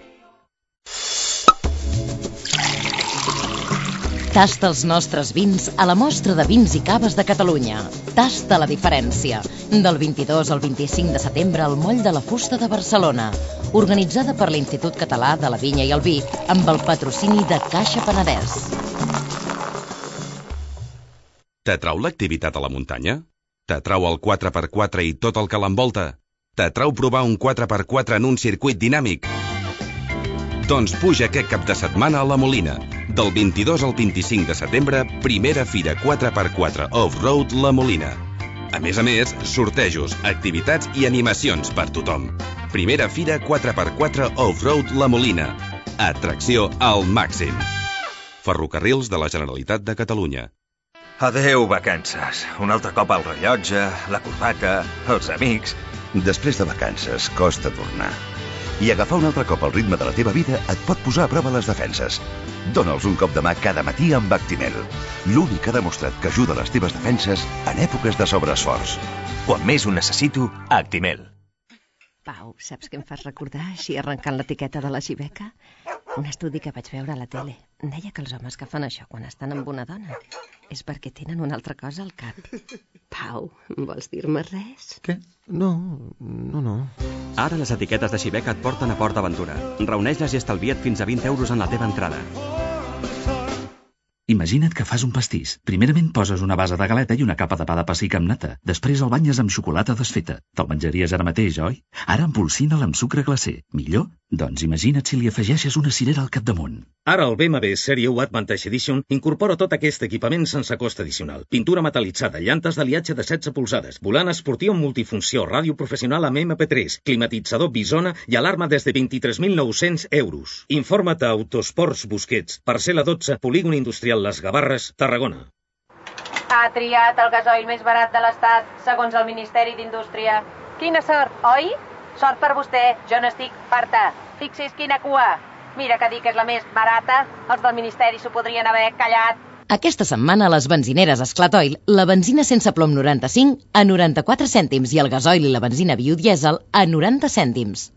Tasta els nostres vins a la mostra de vins i caves de Catalunya. Tasta la diferència. Del 22 al 25 de setembre al Moll de la Fusta de Barcelona. Organitzada per l'Institut Català de la Vinya i el Vi, amb el patrocini de Caixa Penedès. T'atrau l'activitat a la muntanya? T'atrau el 4x4 i tot el que l'envolta? T'atrau provar un 4x4 en un circuit dinàmic? Doncs puja aquest cap de setmana a la Molina. Del 22 al 25 de setembre, primera fira 4x4 Off-Road La Molina. A més, sortejos, activitats i animacions per tothom. Primera fira 4x4 Off-Road La Molina. Atracció al màxim. Ferrocarrils de la Generalitat de Catalunya. Adeu, vacances. Un altre cop al rellotge, la corbata, els amics... Després de vacances costa tornar. I agafar un altre cop el ritme de la teva vida et pot posar a prova les defenses. Dóna'ls un cop de mà cada matí amb Actimel. L'únic que ha demostrat que ajuda les teves defenses en èpoques de sobreesforç. Quan més ho necessito, Actimel. Pau, saps què em fas recordar, així arrencant l'etiqueta de la Xibeca? Un estudi que vaig veure a la tele. Deia que els homes que fan això quan estan amb una dona és perquè tenen una altra cosa al cap. Pau, vols dir-me res? Què? No. Ara les etiquetes de Xibeca et porten a Port d'Aventura. Reuneix-les i estalvia't fins a 20 € en la teva entrada. Imagina't que fas un pastís. Primerament poses una base de galeta i una capa de pa de pessic amb nata. Després el banyes amb xocolata desfeta. Te'l menjaries ara mateix, oi? Ara empolsina'l amb sucre glacé. Millor? Doncs imagina't si li afegeixes una cirera al capdamunt. Ara el BMW Serie 1 Advantage Edition incorpora tot aquest equipament sense cost addicional. Pintura metalitzada, llantes d'aliatge de 16 polzades, volant esportiu amb multifunció, ràdio professional amb MP3, climatitzador Bisona i alarma des de 23.900 €. Informa't a Autosports Busquets, parcel·la 12, polígon industrial Les Gavarres, Tarragona. Ha triat el gasoil més barat de l'Estat, segons el Ministeri d'Indústria. Quina sort, oi? Sort per vostè, jo n'estic farta. Fixi's quina cua. Mira que dir que és la més barata, els del Ministeri s'ho podrien haver callat. Aquesta setmana a les benzineres Esclatoil, la benzina sense plom 95 a 94 cèntims i el gasoil i la benzina biodièsel a 90 cèntims.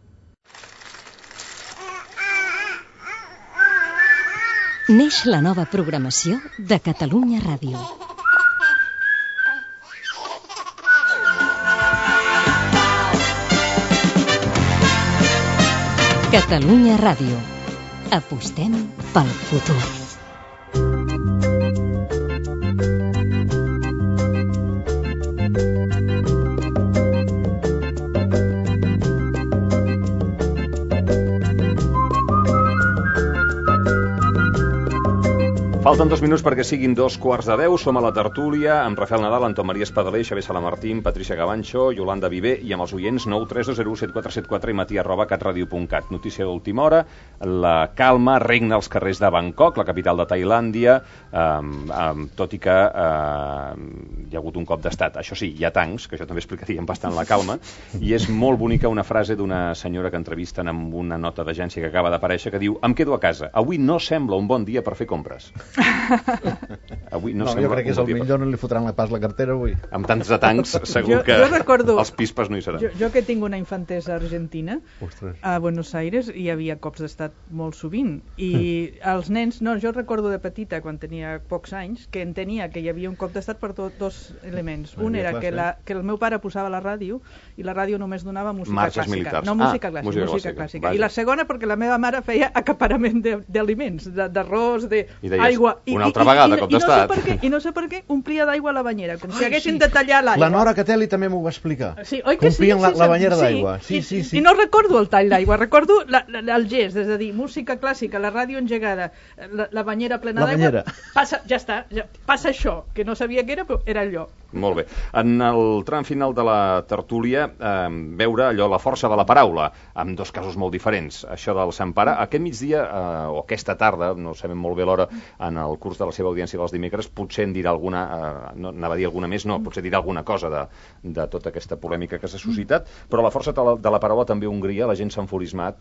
Neix la nova programació de Catalunya Ràdio. Catalunya Ràdio. Apostem pel futur. Falten 2 minuts perquè siguin 2:15. Som a la tertúlia amb Rafael Nadal, Anton Maria Espadaler, Xavier Salamartín, Patricia Gavancho, Yolanda Viver i amb els oients 932017474 i matí@catradio.cat. Notícia d'última hora, la calma regna als carrers de Bangkok, la capital de Tailàndia, tot i que hi ha hagut un cop d'estat. Això sí, hi ha tancs, que això també explicaria bastant la calma, i és molt bonica una frase d'una senyora que entrevisten amb una nota d'agència que acaba d'aparèixer que diu: em quedo a casa, avui no sembla un bon dia per fer compres. Avui no, jo crec que és el millor, no li fotran pas la cartera avui. Amb tants de tancs, segur que els pispes no hi seran. Jo que tinc una infantesa argentina, a Buenos Aires hi havia cops d'estat molt sovint, i els nens, jo recordo de petita, quan tenia pocs anys, que entenia que hi havia un cop d'estat per dos elements. Un era que el meu pare posava la ràdio, i la ràdio només donava música clàssica. No, música clàssica. I la segona perquè la meva mare feia acaparament d'aliments, d'arròs, d'aigua. Una altra vegada, cop d'estat. I no sé per què omplia d'aigua la banyera, com si haguessin de tallar l'aigua. La Nora Catelli també m'ho va explicar. Sí, oi que sí? Omplien la banyera d'aigua. Sí. I no recordo el tall d'aigua, recordo el gest, és a dir, música clàssica, la ràdio engegada, la banyera plena d'aigua, ja està, passa això, que no sabia què era, però era allò. Molt bé. En el tram final de la tertúlia, veure allò, la força de la paraula, amb dos casos molt diferents. Això del Sant Pare, aquest migdia, o aquesta tarda, no sabem molt bé l'hora, en el curs de la seva audiència dels dimecres, potser en dirà alguna, no anava a dir alguna més, no, potser dirà alguna cosa de tota aquesta polèmica que s'ha suscitat, però la força de la paraula també a Hongria, la gent s'ha enfurismat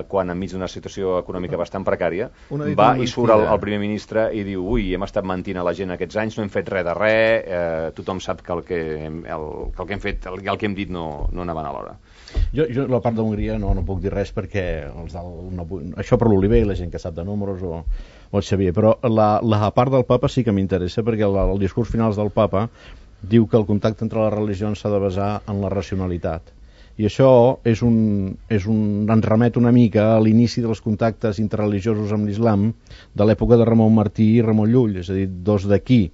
quan enmig d'una situació econòmica bastant precària, va i surt el primer ministre i diu: ui, hem estat mentint a la gent aquests anys, no hem fet res de res, tothom sap que el que hem fet, el que hem dit no anaven a l'hora. Jo la part d'Hongria no puc dir res perquè això per l'Oliver i la gent que sap de números o el Xavier, però la part del papa sí que m'interessa, perquè el discurs final del papa diu que el contacte entre les religions s'ha de basar en la racionalitat, i això ens remet una mica a l'inici dels contactes interreligiosos amb l'islam de l'època de Ramon Martí i Ramon Llull, és a dir, dos d'aquí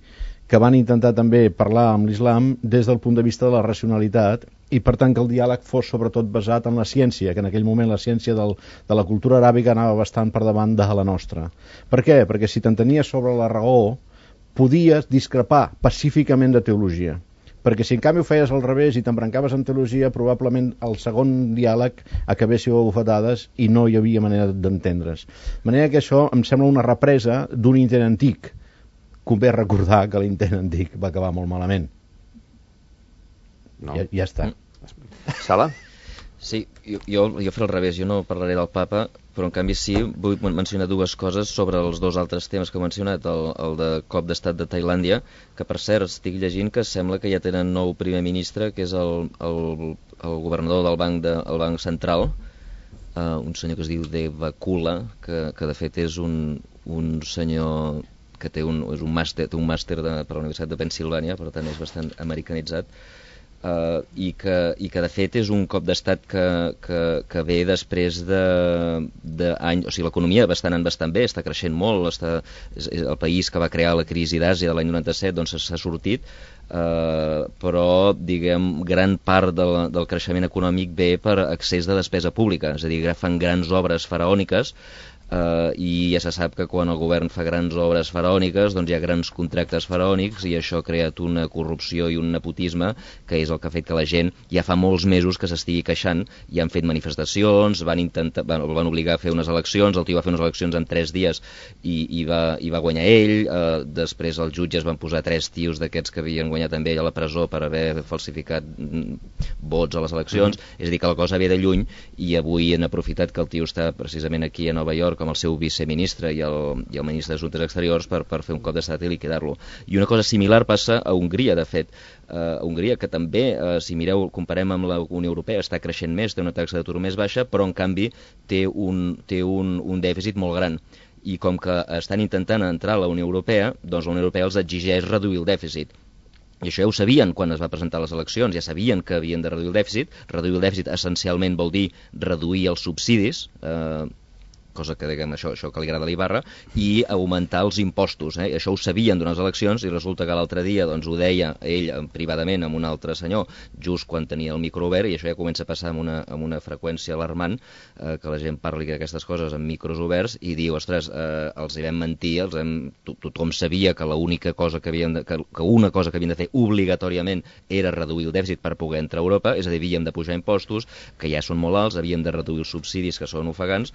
que van intentar també parlar amb l'islam des del punt de vista de la racionalitat, i per tant que el diàleg fos sobretot basat en la ciència, que en aquell moment la ciència de la cultura aràbica anava bastant per davant de la nostra. Per què? Perquè si t'entenies sobre la raó podies discrepar pacíficament de teologia, perquè si en canvi ho feies al revés i t'embrancaves en teologia, probablement el segon diàleg acabéssiu a bufetades i no hi havia manera d'entendre's. De manera que això em sembla una represa d'un intent antic. Convé recordar que l'intent antic va acabar molt malament. No. Ja està. Sala? Sí, jo faré al revés, jo no parlaré del papa, però en canvi sí vull mencionar dues coses sobre els dos altres temes que he mencionat, el de cop d'estat de Tailàndia, que per cert estic llegint que sembla que ja tenen nou primer ministre, que és el governador del Banc Central, un senyor que es diu Devakula, que de fet és un senyor que té un màster per la Universitat de Pennsilvània, per tant és bastant americanitzat, i que de fet és un cop d'estat que ve després d'anys, o sigui, l'economia bastant bé, està creixent molt, és el país que va crear la crisi d'Àsia de l'any 97, doncs s'ha sortit, però diguem gran part del creixement econòmic ve per excés de despesa pública, és a dir, fan grans obres faraòniques, i ja se sap que quan el govern fa grans obres faraòniques doncs hi ha grans contractes faraònics i això ha creat una corrupció i un nepotisme que és el que ha fet que la gent ja fa molts mesos que s'estigui queixant i han fet manifestacions, el van obligar a fer unes eleccions, el tio va fer unes eleccions en 3 dies i va guanyar ell, després els jutges van posar 3 tios d'aquests que havien guanyat amb ell a la presó per haver falsificat vots a les eleccions, és a dir que la cosa ve de lluny i avui han aprofitat que el tio està precisament aquí a Nova York com el seu viceministre i el ministre d'Assumptes Exteriors per fer un cop d'estat i liquidar-lo. I una cosa similar passa a Hongria, de fet. Hongria, que també, si mireu, comparem amb la Unió Europea, està creixent més, té una taxa d'atur més baixa, però en canvi té un dèficit molt gran. I com que estan intentant entrar a la Unió Europea, doncs la Unió Europea els exigeix reduir el dèficit. I això ja ho sabien quan es va presentar les eleccions, ja sabien que havien de reduir el dèficit. Reduir el dèficit essencialment vol dir reduir els subsidis, cosa que, diguem, això que li agrada a l'Ibarra, i augmentar els impostos. Això ho sabien durant les eleccions i resulta que l'altre dia doncs, ho deia ell privadament amb un altre senyor, just quan tenia el micro obert, i això ja comença a passar amb una freqüència alarmant, que la gent parli d'aquestes coses amb micros oberts i diu, ostres, els hi vam mentir, tothom sabia que l'única cosa que una cosa que havien de fer obligatòriament era reduir el dèficit per poder entrar a Europa, és a dir, havíem de pujar impostos, que ja són molt alts, havíem de reduir els subsidis, que són ofegants,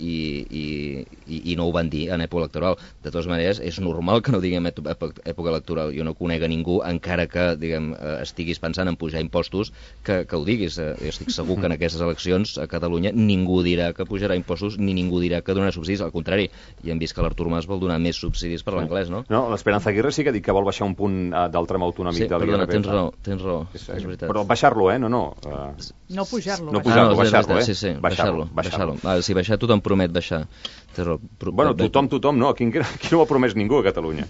i no ho van dir en època electoral. De totes maneres, és normal que no diguem època electoral. Jo no conec a ningú, encara que diguem, estiguis pensant en pujar impostos, que ho diguis. Estic segur que en aquestes eleccions a Catalunya ningú dirà que pujarà impostos ni ningú dirà que donarà subsidis. Al contrari, ja hem vist que l'Artur Mas vol donar més subsidis per l'anglès, no? No, l'Esperanza Aguirre sí que ha dit que vol baixar un punt del tram autonòmic de l'IRPF. Sí, perdona, tens raó, és veritat. Però baixar-lo, No pujar-lo. No pujar-lo, baixar-lo, Sí, baixar-lo. Si baixar, tothom promet baixar. Bueno, tothom no, aquí no ho ha promès ningú a Catalunya.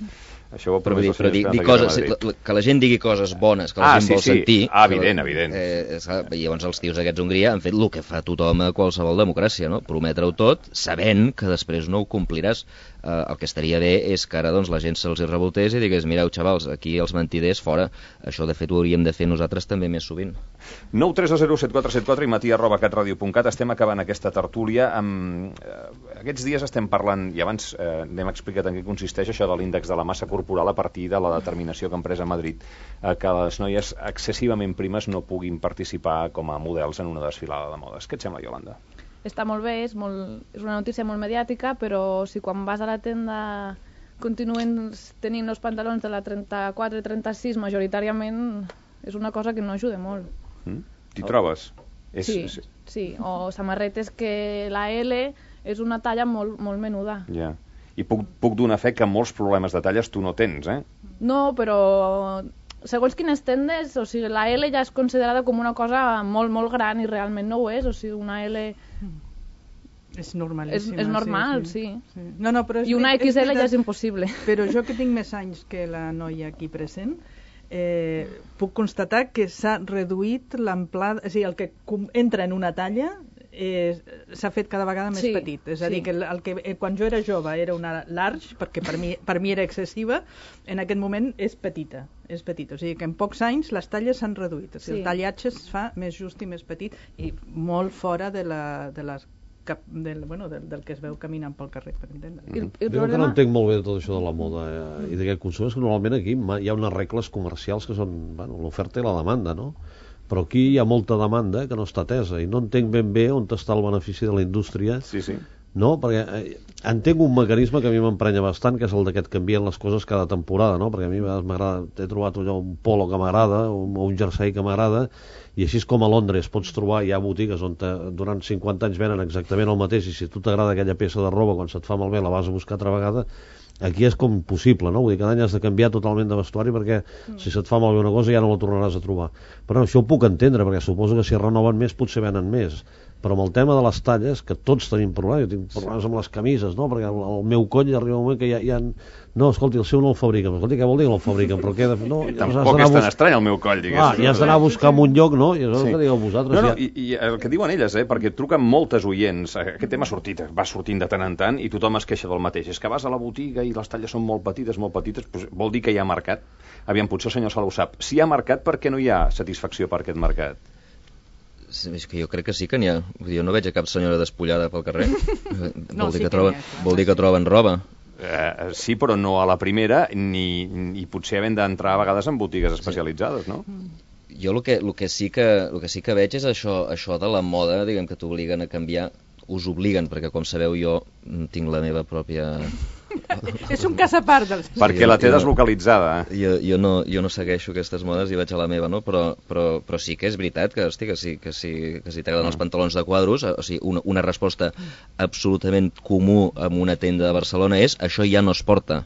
Això ho ha promès però dir coses, que la gent digui coses bones, que la gent vol sentir. Evident. I llavors els tios aquests d'Hongria han fet el que fa tothom a qualsevol democràcia, no? Prometre-ho tot, sabent que després no ho compliràs. El que estaria bé és que ara doncs, la gent se'ls revoltés i digués, mireu, xavals, aquí els mentiders fora. Això, de fet, ho hauríem de fer nosaltres també més sovint. 932074774 i matí@catradio.cat. Estem acabant aquesta tertúlia. Aquests dies estem parlant, i abans n'hem explicat en què consisteix això de l'índex de la massa corporal a partir de la determinació que han pres a Madrid que les noies excessivament primes no puguin participar com a models en una desfilada de modes. Què et sembla, Iolanda? Està molt bé, és una notícia molt mediàtica, però si quan vas a la tenda continuen tenint els pantalons de la 34 i 36 majoritàriament, és una cosa que no ajuda molt. T'hi trobes? Sí, o samarretes que la L és una talla molt menuda. Ja. I puc donar fe que molts problemes de talles tu no tens, No, però segons quines tendes, o sigui, la L ja és considerada com una cosa molt gran i realment no ho és, o sigui, una L... És normalíssima. És normal, sí. No, però i una XL ja és impossible. Però jo que tinc més anys que la noia aquí present, puc constatar que s'ha reduït l'amplada, és a dir, el que entra en una talla s'ha fet cada vegada més petit. És a dir, que quan jo era jove era una large, perquè per mi era excessiva, en aquest moment és petita. O sigui que en pocs anys les talles s'han reduït. O sigui, el tallatge es fa més just i més petit i molt fora del que es veu caminant pel carrer, per entendre. Jo que no entenc molt bé de tot això de la moda i d'aquest consum, és que normalment aquí hi ha unes regles comercials que són l'oferta i la demanda, no? Però aquí hi ha molta demanda que no està atesa i no entenc ben bé on està el benefici de la indústria. Sí. No, perquè entenc un mecanisme que a mi m'emprenya bastant, que és el d'aquest canvien les coses cada temporada, no? Perquè a mi m'agrada, he trobat allò, un polo que m'agrada o un jersei que m'agrada, i així és com a Londres pots trobar, hi ha botigues on durant 50 anys venen exactament el mateix, i si a tu t'agrada aquella peça de roba, quan se't fa malbé la vas a buscar altra vegada. Aquí és com impossible, no? Vull dir, cada any has de canviar totalment de vestuari perquè si se't fa malbé una cosa ja no la tornaràs a trobar. Però això ho puc entendre, perquè suposo que si renoven més potser venen més. Però amb el tema de les talles, que tots tenim problemes, jo tinc problemes amb les camises, no? Perquè el meu coll arriba un moment que ja no, escolti, el seu no el fabriquen. Escolti, què vol dir que no el fabriquen? Però què de fer? No, tampoc és tan estrany el meu coll, diguéssim. I has d'anar a buscar en un lloc, no? I és el que digueu vosaltres. No, i el que diuen elles, perquè truquen moltes oients, aquest tema va sortint de tant en tant i tothom es queixa del mateix. És que vas a la botiga i les talles són molt petites, doncs vol dir que hi ha mercat. Aviam, potser el senyor Sala ho sap. Si hi ha mercat, per què no hi ha satisfacció per aquest mercat? És que jo crec que sí que n'hi ha. Jo no veig a cap senyora despullada pel carrer. Vol dir que troben roba. Sí, però no a la primera, ni potser havent d'entrar a vegades en botigues especialitzades, no? Jo el que sí que veig és això de la moda, diguem, que t'obliguen a canviar. Us obliguen, perquè com sabeu jo tinc la meva pròpia És un cas a part dels... Perquè la té deslocalitzada. Jo no segueixo aquestes modes i vaig a la meva, no? Però sí que és veritat que si t'agraden els pantalons de quadros, o sigui, una resposta absolutament comú en una tenda de Barcelona és això ja no es porta.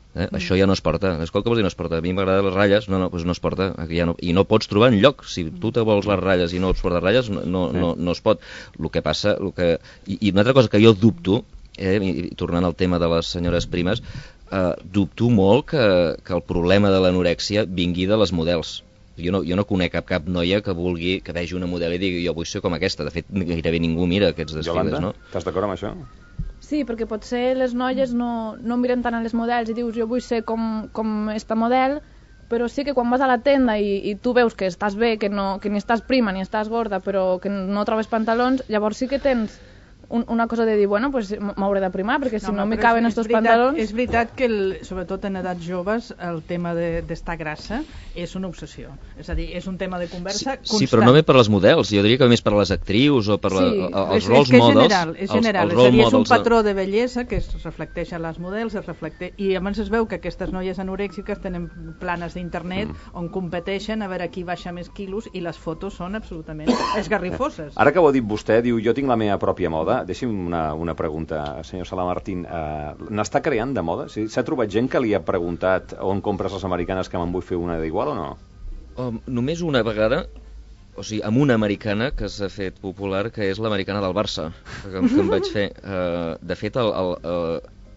Això ja no es porta. Escolta, què vols dir no es porta? A mi m'agraden les ratlles, doncs no es porta. I no pots trobar enlloc. Si tu te vols les ratlles i no ets portar ratlles, no es pot. El que passa... I una altra cosa que jo dubto, i tornant al tema de les senyores primes, dubto molt que el problema de l'anorèxia vingui de les models. Jo no conec cap noia que vegi una model i digui jo vull ser com aquesta. De fet, gairebé ningú mira aquests desfiles, no? Jolanda, estàs d'acord amb això? Sí, perquè potser les noies no miren tant a les models i dius jo vull ser com esta model, però sí que quan vas a la tenda i tu veus que estàs bé, que ni estàs prima ni estàs gorda, però que no trobes pantalons, llavors sí que tens una cosa de dir, bueno, pues m'hauré de primar, perquè si no m'hi caben estos pantalons... És veritat que, sobretot en edats joves, el tema d'estar grassa és una obsessió. És a dir, és un tema de conversa constant. Sí, però no ve per les models, jo diria que més per les actrius o per els rols models. És general, és a dir, és un patró de bellesa que es reflecteix a les models, i llavors es veu que aquestes noies anorèxiques tenen planes d'internet on competeixen a veure qui baixa més quilos i les fotos són absolutament esgarrifoses. Ara que ho ha dit vostè, diu, jo tinc la meva pròpia moda. Deixi'm una pregunta, senyor Salamartín. N'està creant de moda? S'ha trobat gent que li ha preguntat on compres les americanes que me'n vull fer una d'igual o no? Només una vegada, o sigui, amb una americana que s'ha fet popular, que és l'americana del Barça, que em vaig fer. De fet,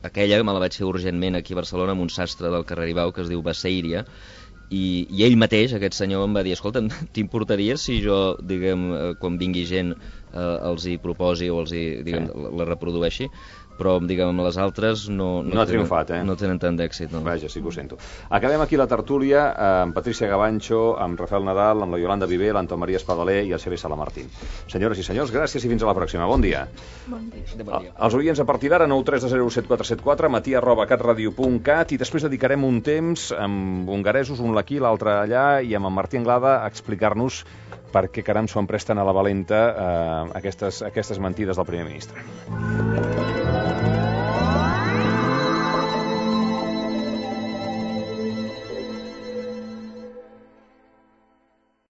aquella me la vaig fer urgentment aquí a Barcelona amb un sastre del carrer Ibau que es diu Baseiria, i ell mateix, aquest senyor, em va dir escolta, t'importaria si jo, diguem, quan vingui gent els hi proposi o els hi, diguem, la reprodueixi, però, diguem, amb les altres no ha triomfat, no tenen tant d'èxit. No. Vaja, sí que ho sento. Acabem aquí la tertúlia amb Patricia Gavancho, amb Rafael Nadal, amb la Yolanda Viver, l'Anton Maria Espadaler i el Xavier Salamartín. Senyores i senyors, gràcies i fins a la pròxima. Bon dia. Bon dia. Els oients a partir d'ara, 932074474, matí@catradio.cat, i després dedicarem un temps amb hongaresos, un aquí, l'altre allà, i amb en Martí Anglada a explicar-nos per què caram s'ho empresten a la valenta aquestes mentides del primer ministre.